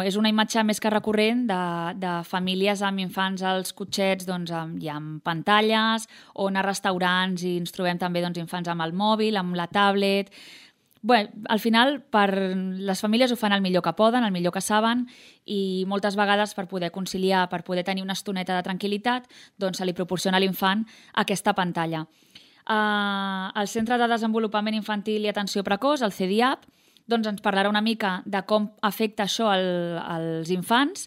és una imatge més que recurrent de famílies amb infants als cotxets i amb pantalles, o anar a restaurants i ens trobem també infants amb el mòbil, amb la tablet. Al final, les famílies ho fan el millor que poden, el millor que saben, i moltes vegades per poder conciliar, per poder tenir una estoneta de tranquil·litat, se li proporciona a l'infant aquesta pantalla. El Centre de Desenvolupament Infantil i Atenció Precoç, el CDIAP, doncs ens parlarà una mica de com afecta això als infants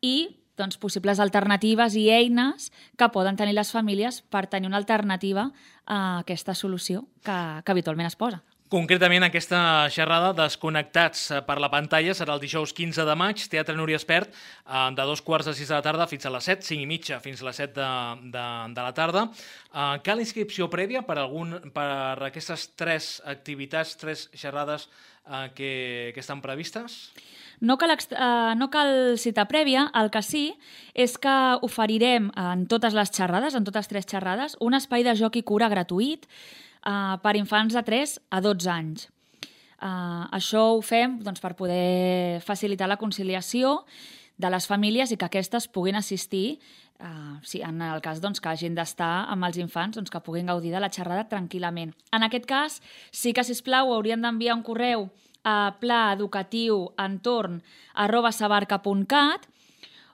i doncs, possibles alternatives i eines que poden tenir les famílies per tenir una alternativa a aquesta solució que habitualment es posa. Concretament, aquesta xerrada Desconnectats per la pantalla serà el dijous 15 de maig, Teatre Núria Espert, de 2:45 de la tarda fins a les 7, 5:30 fins a les 7 de la tarda. Cal inscripció prèvia per aquestes 3 activitats, 3 xerrades que estan previstes? No cal cita prèvia, el que sí és que oferirem en totes les xerrades, en totes 3 xerrades, un espai de joc i cura gratuït per infants de 3 a 12 anys. Això ho fem doncs, per poder facilitar la conciliació de les famílies i que aquestes puguin assistir, en el cas doncs, que hagin d'estar amb els infants, doncs, que puguin gaudir de la xerrada tranquil·lament. En aquest cas, sí que, sisplau, haurien d'enviar un correu a plaeducatiuentorn@sabarca.cat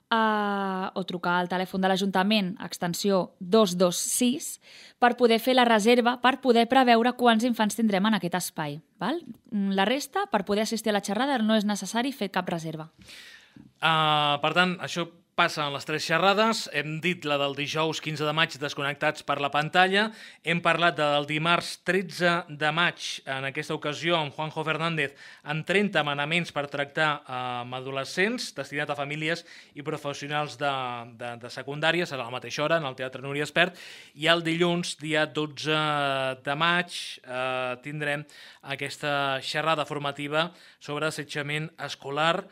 o trucar al telèfon de l'Ajuntament, extensió 226, per poder fer la reserva, per poder preveure quants infants tindrem en aquest espai. Val? La resta, per poder assistir a la xerrada, no és necessari fer cap reserva. Per tant, això passa en les 3 xerrades. Hem dit la del dijous 15 de maig, Desconnectats per la pantalla. Hem parlat del dimarts 13 de maig, en aquesta ocasió, amb Juanjo Fernández, amb 30 manaments per tractar amb adolescents, destinat a famílies i professionals de secundària. Serà a la mateixa hora, en el Teatre Núria Espert. I el dilluns, dia 12 de maig, tindrem aquesta xerrada formativa sobre assetjament escolar.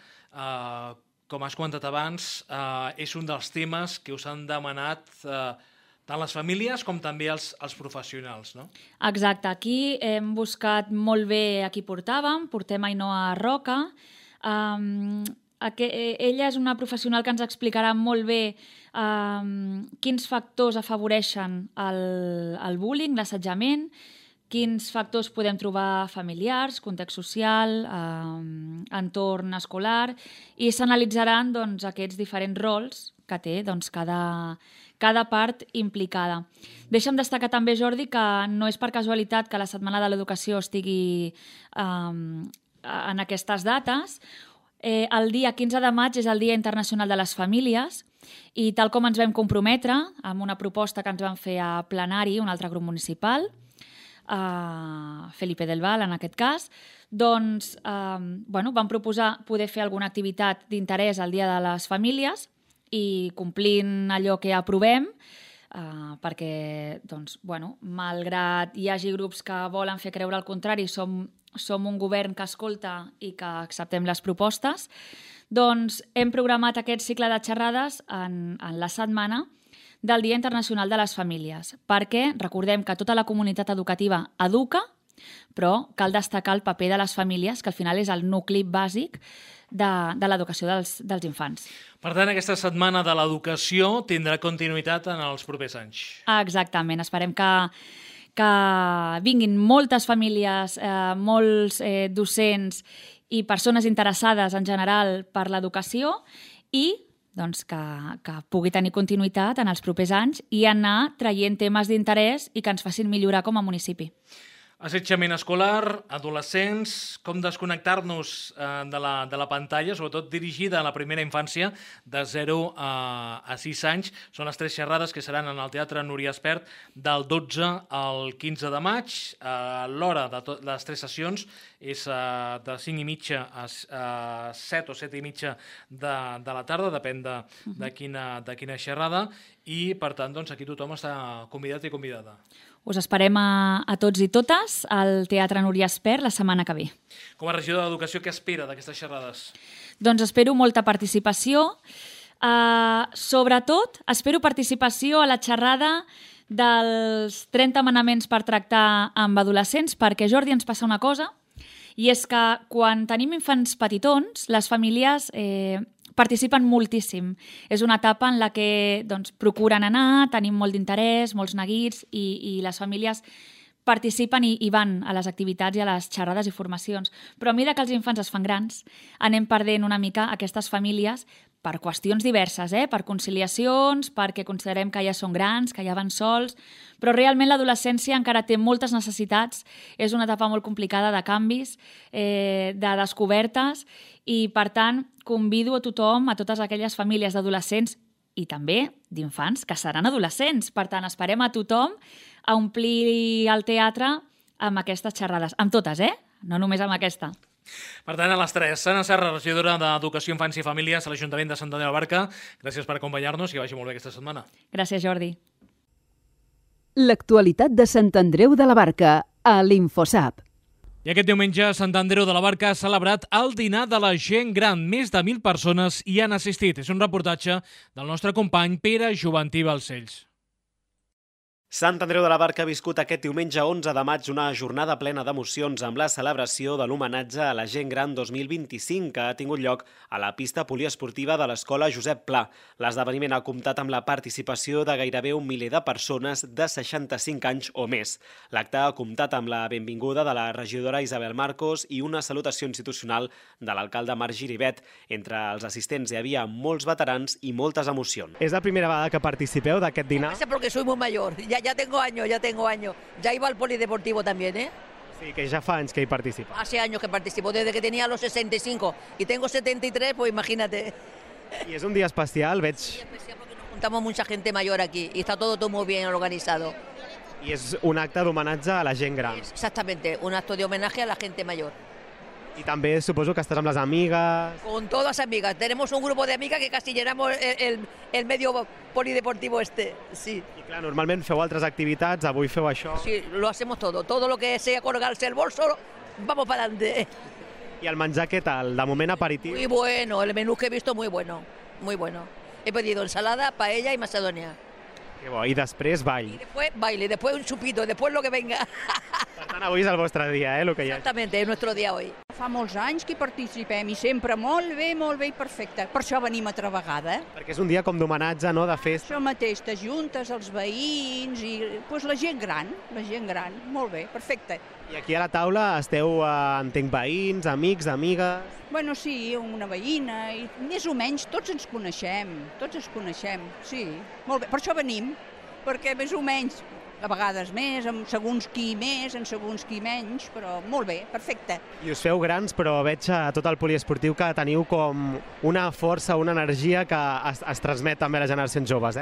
Com has comentat abans, és un dels temes que us han demanat tant les famílies com també els professionals, no? Exacte. Aquí hem buscat molt bé a qui portàvem. Portem Ainhoa Roca. Ella és una professional que ens explicarà molt bé quins factors afavoreixen el bullying, l'assetjament, quins factors podem trobar familiars, context social, entorn escolar, i s'analitzaran doncs, aquests diferents rols que té doncs, cada part implicada. Deixa'm destacar també, Jordi, que no és per casualitat que la Setmana de l'Educació estigui en aquestes dates. El dia 15 de maig és el Dia Internacional de les Famílies i tal com ens vam comprometre amb una proposta que ens van fer a plenari, un altre grup municipal, Felipe del Val en aquest cas, doncs vam proposar poder fer alguna activitat d'interès al Dia de les Famílies i complint allò que aprovem, perquè doncs, malgrat hi hagi grups que volen fer creure el contrari, som un govern que escolta i que acceptem les propostes, doncs hem programat aquest cicle de xerrades en la setmana del Dia Internacional de les Famílies, perquè recordem que tota la comunitat educativa educa, però cal destacar el paper de les famílies, que al final és el nucli bàsic de l'educació dels infants. Per tant, aquesta setmana de l'educació tindrà continuïtat en els propers anys. Exactament. Esperem que vinguin moltes famílies, molts docents i persones interessades en general per l'educació i doncs, que pugui tenir continuïtat en els propers anys i anar traient temes d'interès i que ens facin millorar com a municipi. Assetjament escolar, adolescents, com desconnectar-nos de la pantalla, sobretot dirigida a la primera infància de 0 a 6 anys. Són les 3 xerrades que seran en el Teatre Núria Espert del 12 al 15 de maig. L'hora de les 3 sessions és de 5:30 a 7 o 7:30 de la tarda, depèn de quina xerrada, i per tant doncs, aquí tothom està convidat i convidada. Us esperem a tots i totes al Teatre Núria Espert la setmana que ve. Com a regidor d'Educació, què espera d'aquestes xerrades? Doncs espero molta participació. Sobretot, espero participació a la xerrada dels 30 manaments per tractar amb adolescents, perquè, Jordi, ens passa una cosa, i és que quan tenim infants petitons, les famílies participen moltíssim. És una etapa en la que procuren anar, tenim molt d'interès, molts neguits, i les famílies participen i van a les activitats i a les xerrades i formacions. Però a mesura que els infants es fan grans, anem perdent una mica aquestes famílies per qüestions diverses, per conciliacions, perquè considerem que ja són grans, que ja van sols, però realment l'adolescència encara té moltes necessitats, és una etapa molt complicada de canvis, de descobertes, i per tant convido a tothom, a totes aquelles famílies d'adolescents i també d'infants que seran adolescents. Per tant, esperem a tothom a omplir el teatre amb aquestes xerrades. Amb totes, no només amb aquesta. Per tant, a les 3, Sana Serra, regidora d'Educació, Infància i Famílies a l'Ajuntament de Sant Andreu de la Barca. Gràcies per acompanyar-nos i que vagi molt bé aquesta setmana. Gràcies, Jordi. L'actualitat de Sant Andreu de la Barca a l'Infosap. I aquest diumenge, Sant Andreu de la Barca ha celebrat el dinar de la gent gran. Més de 1.000 persones hi han assistit. És un reportatge del nostre company Pere Joventí Balcells. Sant Andreu de la Barca ha viscut aquest diumenge 11 de maig una jornada plena d'emocions amb la celebració de l'homenatge a la gent gran 2025 que ha tingut lloc a la pista poliesportiva de l'Escola Josep Pla. L'esdeveniment ha comptat amb la participació de gairebé 1 miler de persones de 65 anys o més. L'acte ha comptat amb la benvinguda de la regidora Isabel Marcos i una salutació institucional de l'alcalde Marc Giribet. Entre els assistents hi havia molts veterans i moltes emocions. És la primera vegada que participeu d'aquest dinar? Porque soy muy mayor. Ya tengo años. Ya iba al polideportivo también, Sí, que ja fa anys que hi participa. Hace años que participo, desde que tenía los 65 y tengo 73, pues imagínate. I és un dia especial, veig... Sí, especial porque nos juntamos mucha gente mayor aquí y está todo muy bien organizado. I és un acte d'homenatge a la gent gran. Exactamente, un acto de homenaje a la gente mayor. I també suposo que estàs amb les amigues... Con todas amigas. Tenemos un grupo de amigas que casi llenamos el medio polideportivo sí. I clar, normalment feu altres activitats, avui feu això... Sí, lo hacemos todo. Todo lo que sea colgarse el bolso, vamos para adelante. I el menjar què tal? De moment aperitiu? Muy bueno, el menú que he visto muy bueno, muy bueno. He pedido ensalada, paella y macedonia. Que bo, i després ball. Y después baile, después un chupito, después lo que venga. Per tant, avui és el vostre dia, el que hi ha. Exactamente, es nuestro día hoy. Fa molts anys que hi participem i sempre molt bé i perfecte. Per això venim altra vegada. Perquè és un dia com d'homenatge, no?, de festa. Això mateix, t'ajuntes els veïns i pues, la gent gran, molt bé, perfecte. I aquí a la taula esteu, entenc, veïns, amics, amigues... Bueno, sí, una veïna, i més o menys tots ens coneixem, sí, molt bé. Per això venim, perquè més o menys, a vegades més, amb segons qui més, en segons qui menys, però molt bé, perfecte. I us feu grans, però veig a tot el poliesportiu que teniu com una força, una energia que es transmet també a les generacions joves,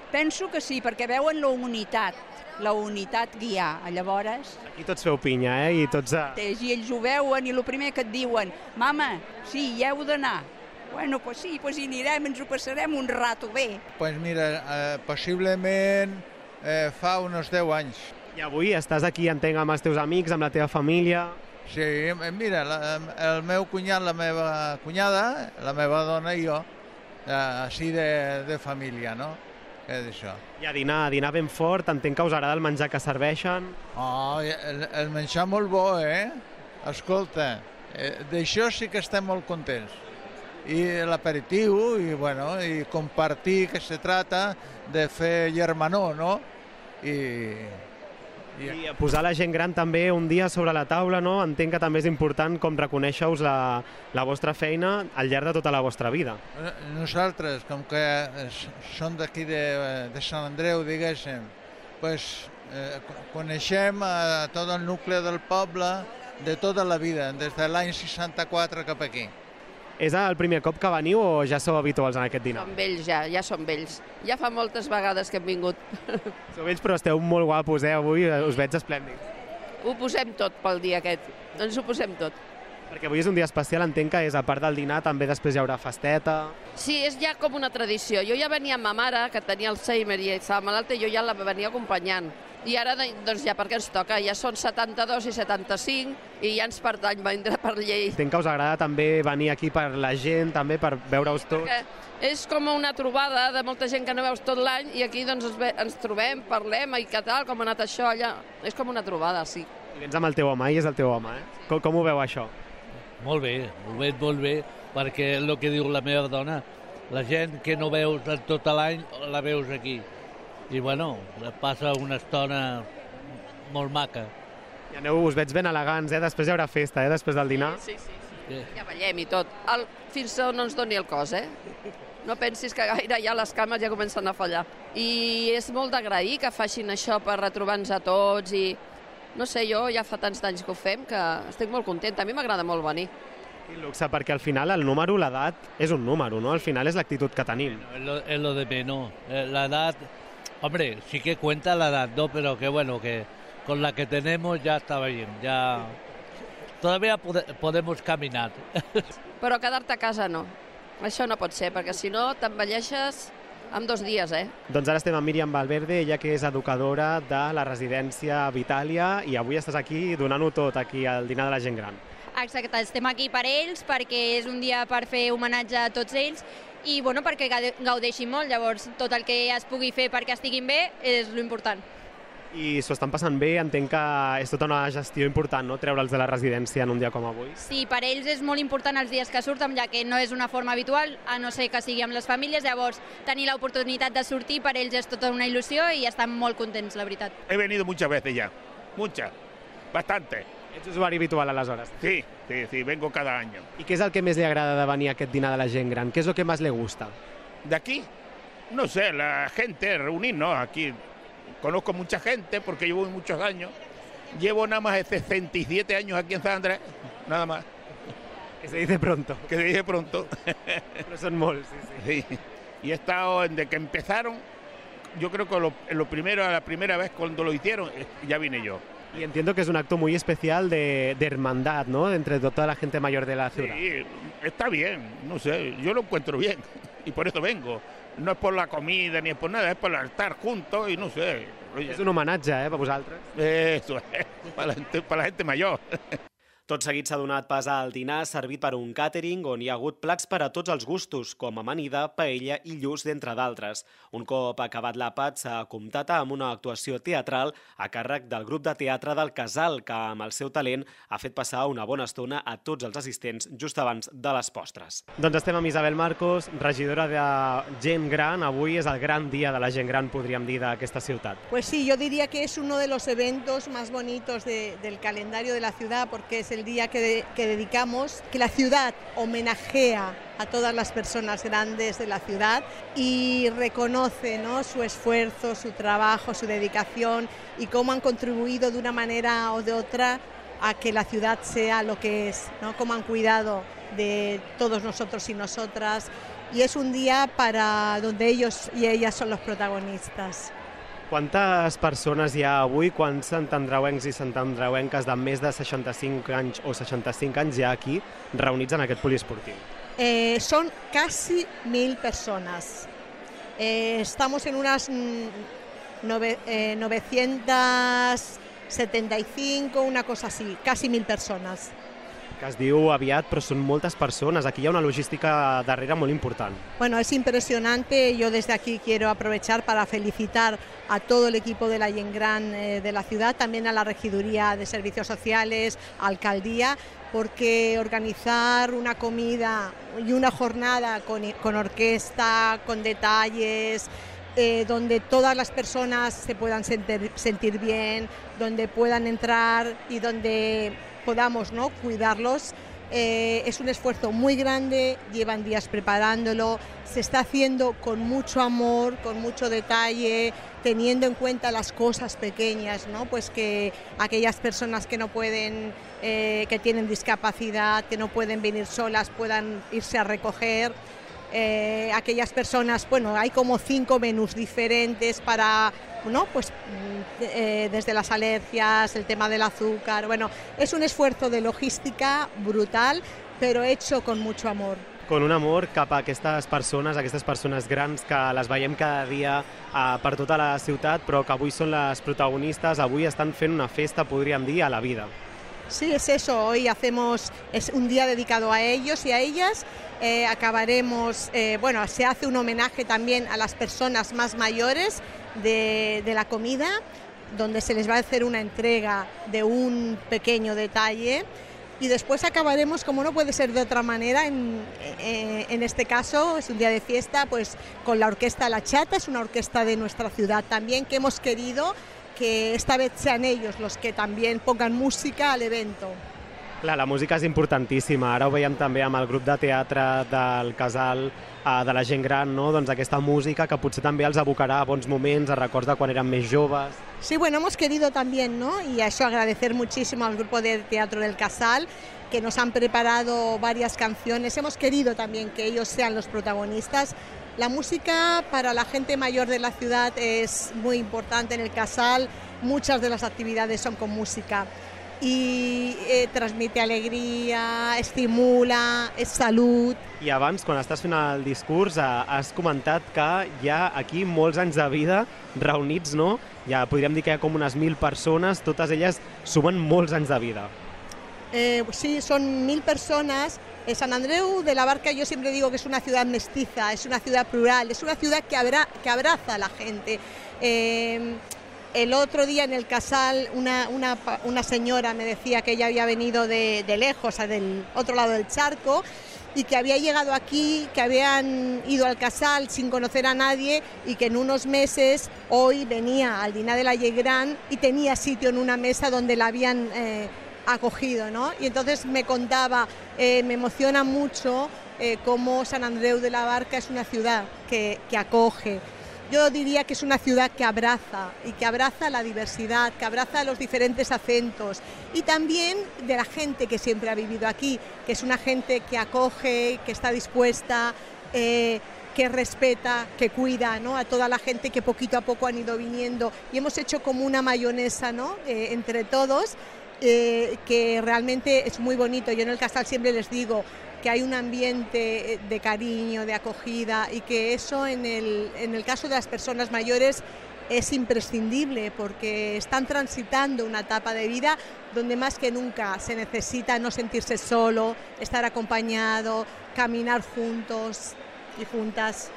Penso que sí, perquè veuen la unitat guiar, llavors... Aquí tots feu pinya, i tots... I ells ho veuen i el primer que et diuen, mama, sí, hi heu d'anar. Bueno, pues sí, pues hi anirem, ens ho passarem un rato bé. Pues mira, possiblement fa uns 10 anys. I avui estàs aquí, entenc, amb els teus amics, amb la teva família... Sí, mira, el meu cunyat, la meva cunyada, la meva dona i jo, així de família, no? És això. I a dinar ben fort, entenc que us agrada el menjar que serveixen. Oh, el menjar molt bo, Escolta, d'això sí que estem molt contents. I l'aperitiu, i compartir, que se trata de fer germanor, no? I posar la gent gran també un dia sobre la taula, no? Entenc que també és important com reconèixer-vos la vostra feina al llarg de tota la vostra vida. Nosaltres, com que som d'aquí de Sant Andreu, diguéssim, coneixem a tot el nucli del poble de tota la vida, des de l'any 64 cap aquí. És el primer cop que veniu o ja sou habituals en aquest dinar? Som vells ja som vells. Ja fa moltes vegades que hem vingut. Sou vells però esteu molt guapos, avui us veig esplèndids. Ho posem tot pel dia aquest, ens ho posem tot. Perquè avui és un dia especial, entenc que és a part del dinar, també després hi haurà festeta. Sí, és ja com una tradició. Jo ja venia amb ma mare, que tenia Alzheimer i estava malalta, i jo ja la venia acompanyant. I ara, doncs ja perquè ens toca, ja són 72 i 75 i ja ens pertany vindre per llei. Entenc que us agrada també venir aquí per la gent, també per veure-us tots. Perquè és com una trobada de molta gent que no veus tot l'any i aquí doncs ens trobem, parlem i què tal, com ha anat això allà. És com una trobada, sí. I vens amb el teu home, i és el teu home, Com ho veu això? Molt bé, ho veig molt bé, perquè és el que diu la meva dona, la gent que no veus tot l'any la veus aquí. I bueno, passa una estona molt maca. I us veig ben elegants, després hi haurà festa, després del dinar. Sí. Ja ballem i tot. Fins on no ens doni el cos, No pensis que gaire ja les cames ja comencen a fallar. I és molt d'agrair que facin això per retrobar-nos a tots i... No sé, jo ja fa tants d'anys que ho fem que estic molt contenta. A mi m'agrada molt venir. I luxe, perquè al final el número, l'edat, és un número, ¿no? Al final és l'actitud que tenim. Es lo de menos. La edad, hombre, sí que cuenta la edad, ¿no? Pero que bueno, que con la que tenemos ya está bien, ya... Todavía podemos caminar. Però quedar-te a casa no. Això no pot ser, perquè si no t'envelleixes en 2 dies, Doncs ara estem amb Míriam Valverde, ella que és educadora de la residència Vitàlia, i avui estàs aquí donant-ho tot, aquí al dinar de la gent gran. Exacte, estem aquí per ells, perquè és un dia per fer homenatge a tots ells i bueno, perquè gaudeixin molt, llavors tot el que es pugui fer perquè estiguin bé és l'important. I s'ho estan passant bé, entenc que és tota una gestió important, no?, treure'ls de la residència en un dia com avui. Sí, per ells és molt important els dies que surten, ja que no és una forma habitual, a no ser que sigui amb les famílies, llavors tenir l'oportunitat de sortir per ells és tota una il·lusió i estan molt contents, la veritat. He venido muchas veces ya, muchas, bastante. Ets usuari habitual aleshores? Sí, vengo cada año. I què és el que més li agrada de venir a aquest dinar de la gent gran? ¿Qué es lo que más le gusta? ¿De aquí? No sé, la gente, reunirnos aquí. Conozco mucha gente porque llevo muchos años. Llevo nada más de 67 años aquí en San Andrés, nada más. Que se dice pronto. Que se dice pronto. Pero son molts, sí. Y he estado, desde que empezaron, yo creo que la primera vez cuando lo hicieron, ya vine yo. Y entiendo que es un acto muy especial de hermandad, ¿no?, entre toda la gente mayor de la ciudad. Sí, está bien, no sé, yo lo encuentro bien y por eso vengo. No és per la comida ni és per nada, és per estar juntos i no sé. Oye, és un homenatge, per vosaltres. Eso es, per la gente mayor. Tot seguit s'ha donat pas al dinar servit per un càtering on hi ha hagut plats per a tots els gustos, com amanida, paella i lluç, d'entre d'altres. Un cop acabat l'àpat s'ha comptat amb una actuació teatral a càrrec del grup de teatre del Casal, que amb el seu talent ha fet passar una bona estona a tots els assistents just abans de les postres. Doncs estem amb Isabel Marcos, regidora de Gent Gran. Avui és el gran dia de la gent gran, podríem dir, d'aquesta ciutat. Pues sí, yo diría que es uno de los eventos más bonitos del calendario de la ciudad, porque es el día que dedicamos, que la ciudad homenajea a todas las personas grandes de la ciudad y reconoce, ¿no?, su esfuerzo, su trabajo, su dedicación y cómo han contribuido de una manera o de otra a que la ciudad sea lo que es, ¿no?, cómo han cuidado de todos nosotros y nosotras, y es un día para donde ellos y ellas son los protagonistas. Quantes persones hi ha avui, quants santandreuencs i santandreuenques de més de 65 anys o 65 anys hi ha aquí reunits en aquest poliesportiu? Son casi 1.000 personas. Estamos en unas 975, una cosa así, casi 1.000 personas. Que es diu aviat, però són moltes persones. Aquí hi ha una logística darrere molt important. Bueno, es impresionante. Yo desde aquí quiero aprovechar para felicitar a todo el equipo de la Gent Gran de la ciudad, también a la Regiduría de Servicios Sociales, Alcaldía, porque organizar una comida y una jornada con orquesta, con detalles, donde todas las personas se puedan sentir bien, donde puedan entrar y donde podamos, ¿no?, cuidarlos. Es un esfuerzo muy grande, llevan días preparándolo, se está haciendo con mucho amor, con mucho detalle, teniendo en cuenta las cosas pequeñas, ¿no?, pues que aquellas personas que no pueden, que tienen discapacidad, que no pueden venir solas, puedan irse a recoger. Aquellas personas, bueno, hay como 5 menús diferentes para, ¿no?, pues desde las alergias, el tema del azúcar. Bueno, es un esfuerzo de logística brutal, pero hecho con mucho amor. Con un amor cap a aquestes persones grans que les veiem cada dia per tota la ciutat, però que avui són les protagonistes, avui estan fent una festa, podríem dir, a la vida. Sí, es eso, hoy es un día dedicado a ellos y a ellas. Acabaremos, bueno, se hace un homenaje también a las personas más mayores de la comida, donde se les va a hacer una entrega de un pequeño detalle, y después acabaremos, como no puede ser de otra manera, en este caso es un día de fiesta, pues con la orquesta La Chata. Es una orquesta de nuestra ciudad también, que hemos querido que esta vez sean ellos los que también pongan música al evento. Clar, la música és importantíssima. Ara ho veiem també amb el grup de teatre del casal de la gent gran, no? Doncs aquesta música que potser també els abocarà a bons moments, a records de quan eren més joves. Sí, bueno, hemos querido también, ¿no? Y a eso agradecer muchísimo al grupo de teatro del Casal, que nos han preparado varias canciones. Hemos querido también que ellos sean los protagonistas. La música para la gente mayor de la ciudad es muy importante en el Casal. Muchas de las actividades son con música. I transmite alegria, estimula, és salut. I abans, quan estàs fent el discurs, has comentat que hi ha aquí molts anys de vida reunits, no? Ja podríem dir que hi ha com unes 1.000 persones, totes elles sumen molts anys de vida. Sí, son 1.000 personas. Sant Andreu de la Barca, yo siempre digo que es una ciudad mestiza, es una ciudad plural, es una ciudad que abraza a la gente. El otro día en el Casal una señora me decía que ella había venido de lejos, del otro lado del charco, y que había llegado aquí, que habían ido al Casal sin conocer a nadie y que en unos meses hoy venía al Dinar de la Gent Gran y tenía sitio en una mesa donde la habían acogido, ¿no? Y entonces me contaba, me emociona mucho cómo Sant Andreu de la Barca es una ciudad que acoge. Yo diría que es una ciudad que abraza y que abraza la diversidad, que abraza los diferentes acentos y también de la gente que siempre ha vivido aquí, que es una gente que acoge, que está dispuesta, que respeta, que cuida, ¿no? A toda la gente que poquito a poco han ido viniendo y hemos hecho como una mayonesa, ¿no? Entre todos, que realmente es muy bonito. Yo en el Casal siempre les digo que hay un ambiente de cariño, de acogida y que eso en el caso de las personas mayores es imprescindible porque están transitando una etapa de vida donde más que nunca se necesita no sentirse solo, estar acompañado, caminar juntos y juntas.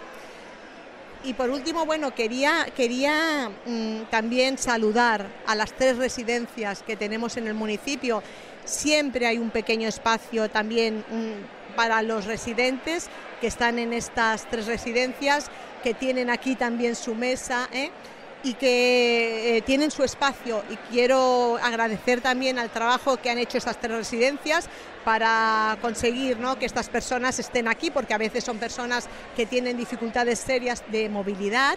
Y por último, bueno, quería también saludar a las 3 residencias que tenemos en el municipio. Siempre hay un pequeño espacio también para los residentes que están en estas 3 residencias, que tienen aquí también su mesa y que tienen su espacio. Y quiero agradecer también al trabajo que han hecho estas 3 residencias para conseguir, ¿no?, que estas personas estén aquí, porque a veces son personas que tienen dificultades serias de movilidad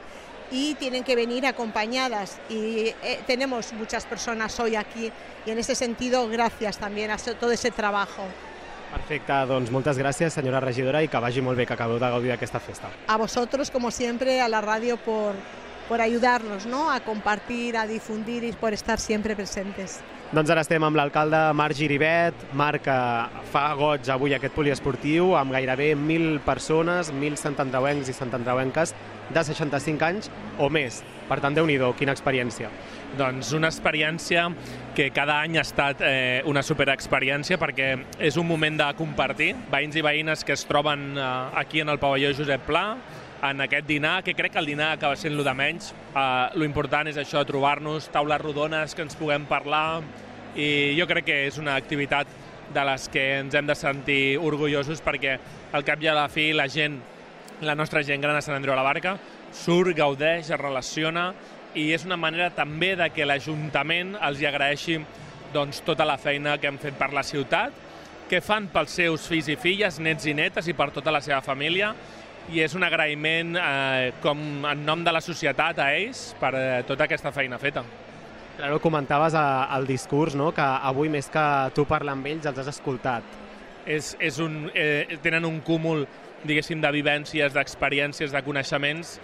y tienen que venir acompañadas y tenemos muchas personas hoy aquí y en ese sentido gracias también a todo ese trabajo. Perfecte, doncs moltes gràcies senyora regidora i que vagi molt bé, que acabeu de gaudir d'aquesta festa. A vosotros, como siempre, a la radio por ayudarnos, ¿no?, a compartir, a difundir y por estar siempre presentes. Doncs ara estem amb l'alcalde Marc Giribet. Marc, fa goig avui aquest poliesportiu amb gairebé 1.000 persones, 1.000 santandreuencs i santandreuenques de 65 anys o més. Per tant, Déu-n'hi-do, quina experiència. Doncs una experiència que cada any ha estat una superexperiència perquè és un moment de compartir veïns i veïnes que es troben aquí en el pavelló Josep Pla, en aquest dinar, que crec que el dinar acaba sent lo de menys. Lo important és això, trobar-nos, taules rodones, que ens puguem parlar, i jo crec que és una activitat de les que ens hem de sentir orgullosos perquè al cap i a la fi la gent, la nostra gent gran a Sant Andreu de la Barca, surt, gaudeix, es relaciona i és una manera també de que l'Ajuntament els hi agraeixi doncs, tota la feina que hem fet per la ciutat, que fan pels seus fills i filles, nets i netes i per tota la seva família, i és un agraïment com en nom de la societat a ells per tota aquesta feina feta. Claro, comentaves al discurs, no?, que avui més que tu parlar amb ells els has escoltat. Tenen un cúmul, diguéssim, de vivències, d'experiències, de coneixements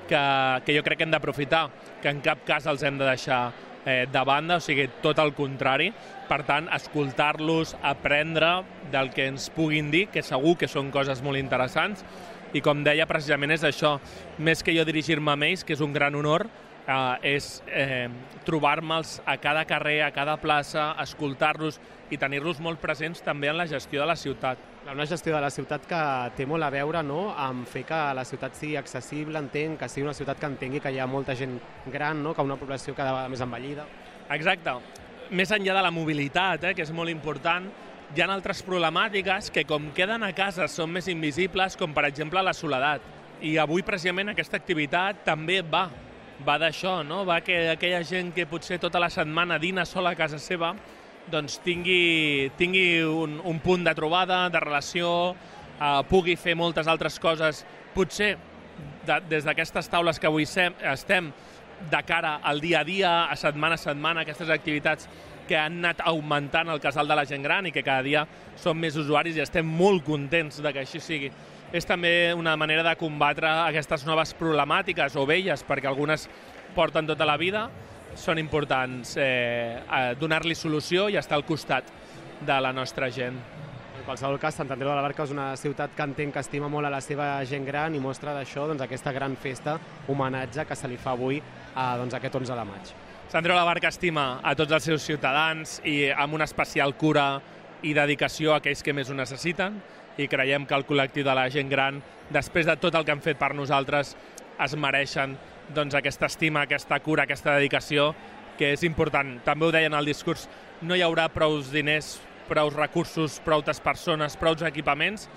que jo crec que hem d'aprofitar, que en cap cas els hem de deixar de banda, o sigui, tot el contrari. Per tant, escoltar-los, aprendre del que ens puguin dir, que segur que són coses molt interessants, i com deia, precisament és això, més que jo dirigir-me a ells, que és un gran honor, és trobar-me'ls a cada carrer, a cada plaça, escoltar-los i tenir-los molt presents també en la gestió de la ciutat. Una gestió de la ciutat que té molt a veure, no?, amb fer que la ciutat sigui accessible, entenc, que sigui una ciutat que entengui que hi ha molta gent gran, no?, que una població cada vegada més envellida. Exacte. Més enllà de la mobilitat, que és molt important, hi ha altres problemàtiques que, com queden a casa, són més invisibles, com per exemple la soledat. I avui, precisament, aquesta activitat també va d'això, no? Va que aquella gent que potser tota la setmana dina sola a casa seva doncs tingui un punt de trobada, de relació, pugui fer moltes altres coses, potser des d'aquestes taules que avui estem, de cara al dia a dia, a setmana, aquestes activitats que han anat augmentant el casal de la gent gran i que cada dia som més usuaris i estem molt contents de que així sigui. És també una manera de combatre aquestes noves problemàtiques o velles, perquè algunes porten tota la vida, són importants donar-li solució i estar al costat de la nostra gent. En qualsevol cas, Sant Andreu de la Barca és una ciutat que entenc que estima molt a la seva gent gran i mostra d'això aquesta gran festa, homenatge que se li fa avui aquest 11 de maig. Sant Andreu de la Barca estima a tots els seus ciutadans i amb una especial cura i dedicació a aquells que més ho necessiten, i creiem que el col·lectiu de la gent gran, després de tot el que han fet per nosaltres, es mereixen aquesta estima, aquesta cura, aquesta dedicació, que és important. També ho deien al discurs, no hi haurà prou diners, prou recursos, prou persones, prou equipaments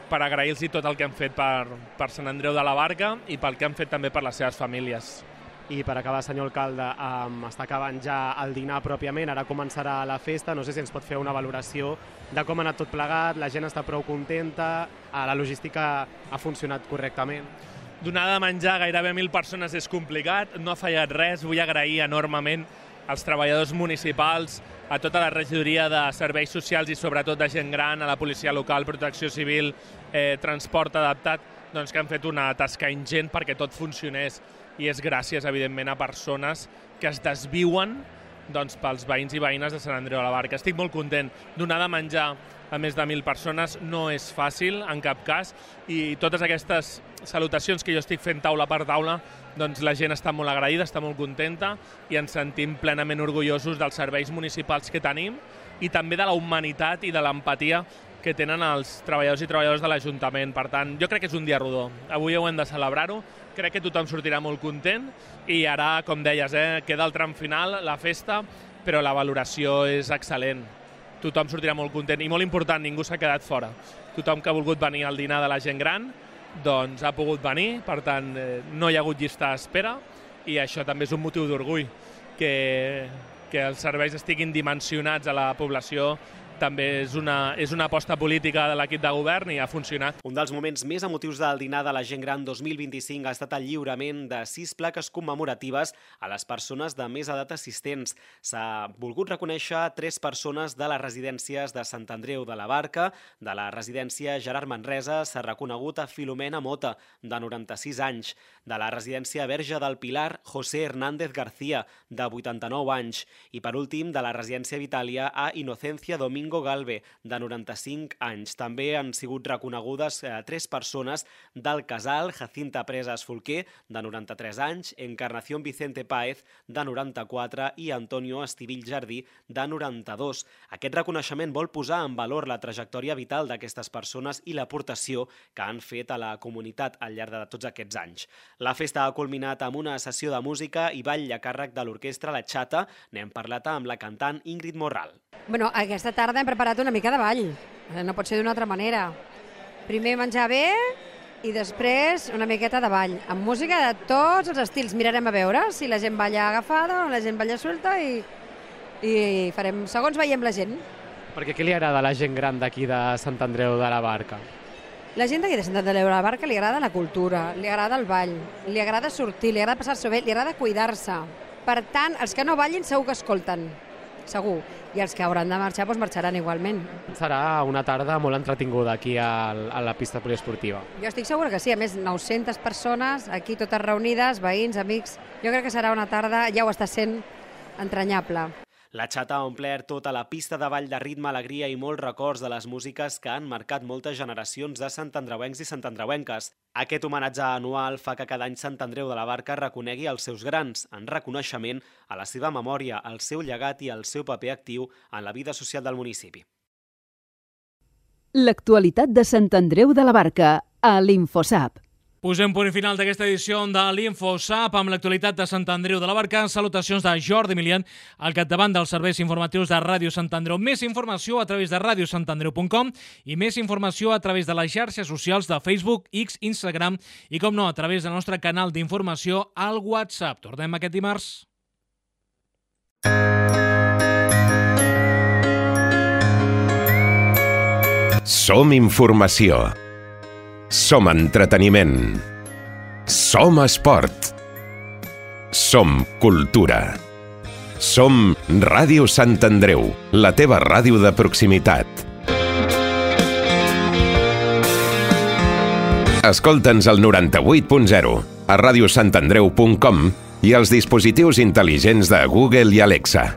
per agrair-los tot el que han fet per Sant Andreu de la Barca i pel que han fet també per les seves famílies. I per acabar, senyor alcalde, està acabant ja el dinar pròpiament, ara començarà la festa, no sé si ens pot fer una valoració de com ha anat tot plegat, la gent està prou contenta, la logística ha funcionat correctament. Donar de menjar gairebé 1.000 persones és complicat, no ha fallat res, vull agrair enormement als treballadors municipals, a tota la regidoria de serveis socials i sobretot de gent gran, a la policia local, protecció civil, transport adaptat, que han fet una tasca ingent perquè tot funcionés. I és gràcies, evidentment, a persones que es desviuen pels veïns i veïnes de Sant Andreu de la Barca. Estic molt content. Donar de menjar a més de 1.000 persones no és fàcil, en cap cas, i totes aquestes salutacions que jo estic fent taula per taula, la gent està molt agraïda, està molt contenta i ens sentim plenament orgullosos dels serveis municipals que tenim i també de la humanitat i de l'empatia que tenen els treballadors i treballadores de l'Ajuntament. Per tant, jo crec que és un dia rodó. Avui ho hem de celebrar-ho. Crec que tothom sortirà molt content i ara, com deies, queda el tram final, la festa, però la valoració és excel·lent. Tothom sortirà molt content i molt important, ningú s'ha quedat fora. Tothom que ha volgut venir al dinar de la gent gran ha pogut venir, per tant, no hi ha hagut llista d'espera i això també és un motiu d'orgull, que els serveis estiguin dimensionats a la població també és una aposta política de l'equip de govern i ha funcionat. Un dels moments més emotius del dinar de la gent gran 2025 ha estat el lliurament de 6 plaques commemoratives a les persones de més edat assistents. S'ha volgut reconèixer 3 persones de les residències de Sant Andreu de la Barca. De la residència Gerard Manresa s'ha reconegut a Filomena Mota, de 96 anys. De la residència Verge del Pilar, José Hernández García, de 89 anys. I per últim, de la residència Vitàlia a Inocencia Domingo Galve, de 95 anys. També han sigut reconegudes 3 persones del casal, Jacinta Presas Folquer, de 93 anys, Encarnación Vicente Páez, de 94 i Antonio Estivill Jardí, de 92. Aquest reconeixement vol posar en valor la trajectòria vital d'aquestes persones i l'aportació que han fet a la comunitat al llarg de tots aquests anys. La festa ha culminat amb una sessió de música i ball a càrrec de l'orquestra La Xata. N'hem parlat amb la cantant Ingrid Morral. Bueno, aquesta tarda hem preparat una mica de ball, no pot ser d'una altra manera. Primer menjar bé i després una miqueta de ball, amb música de tots els estils. Mirarem a veure si la gent balla agafada o la gent balla suelta i farem segons veiem la gent. Perquè què li agrada a la gent gran d'aquí de Sant Andreu de la Barca? La gent d'aquí de Sant Andreu de la Barca li agrada la cultura, li agrada el ball, li agrada sortir, li agrada passar-s'ho bé, li agrada cuidar-se. Per tant, els que no ballin segur que escolten, segur. I els que hauran de marxar, doncs marxaran igualment. Serà una tarda molt entretinguda aquí a la pista poliesportiva. Jo estic segura que sí, a més 900 persones aquí totes reunides, veïns, amics. Jo crec que serà una tarda, ja ho està sent, entranyable. La Xata ha omplert tota la pista de ball de ritme, alegria i molts records de les músiques que han marcat moltes generacions de santandreuencs i santandreuenques. Aquest homenatge anual fa que cada any Sant Andreu de la Barca reconegui els seus grans, en reconeixement a la seva memòria, al seu llegat i al seu paper actiu en la vida social del municipi. L'actualitat de Sant Andreu de la Barca a l'Infosap. Posem punt final d'aquesta edició de l'InfoSap amb l'actualitat de Sant Andreu de la Barca. Salutacions de Jordi Milian, al capdavant dels serveis informatius de Ràdio Sant Andreu. Més informació a través de radiosantandreu.com i més informació a través de les xarxes socials de Facebook, X, Instagram i, com no, a través del nostre canal d'informació al WhatsApp. Tornem aquest dimarts. Som informació. Som entreteniment. Som esport. Som cultura. Som Ràdio Sant Andreu, la teva ràdio de proximitat. Escolta'ns al 98.0, a radiosantandreu.com i als dispositius intel·ligents de Google i Alexa.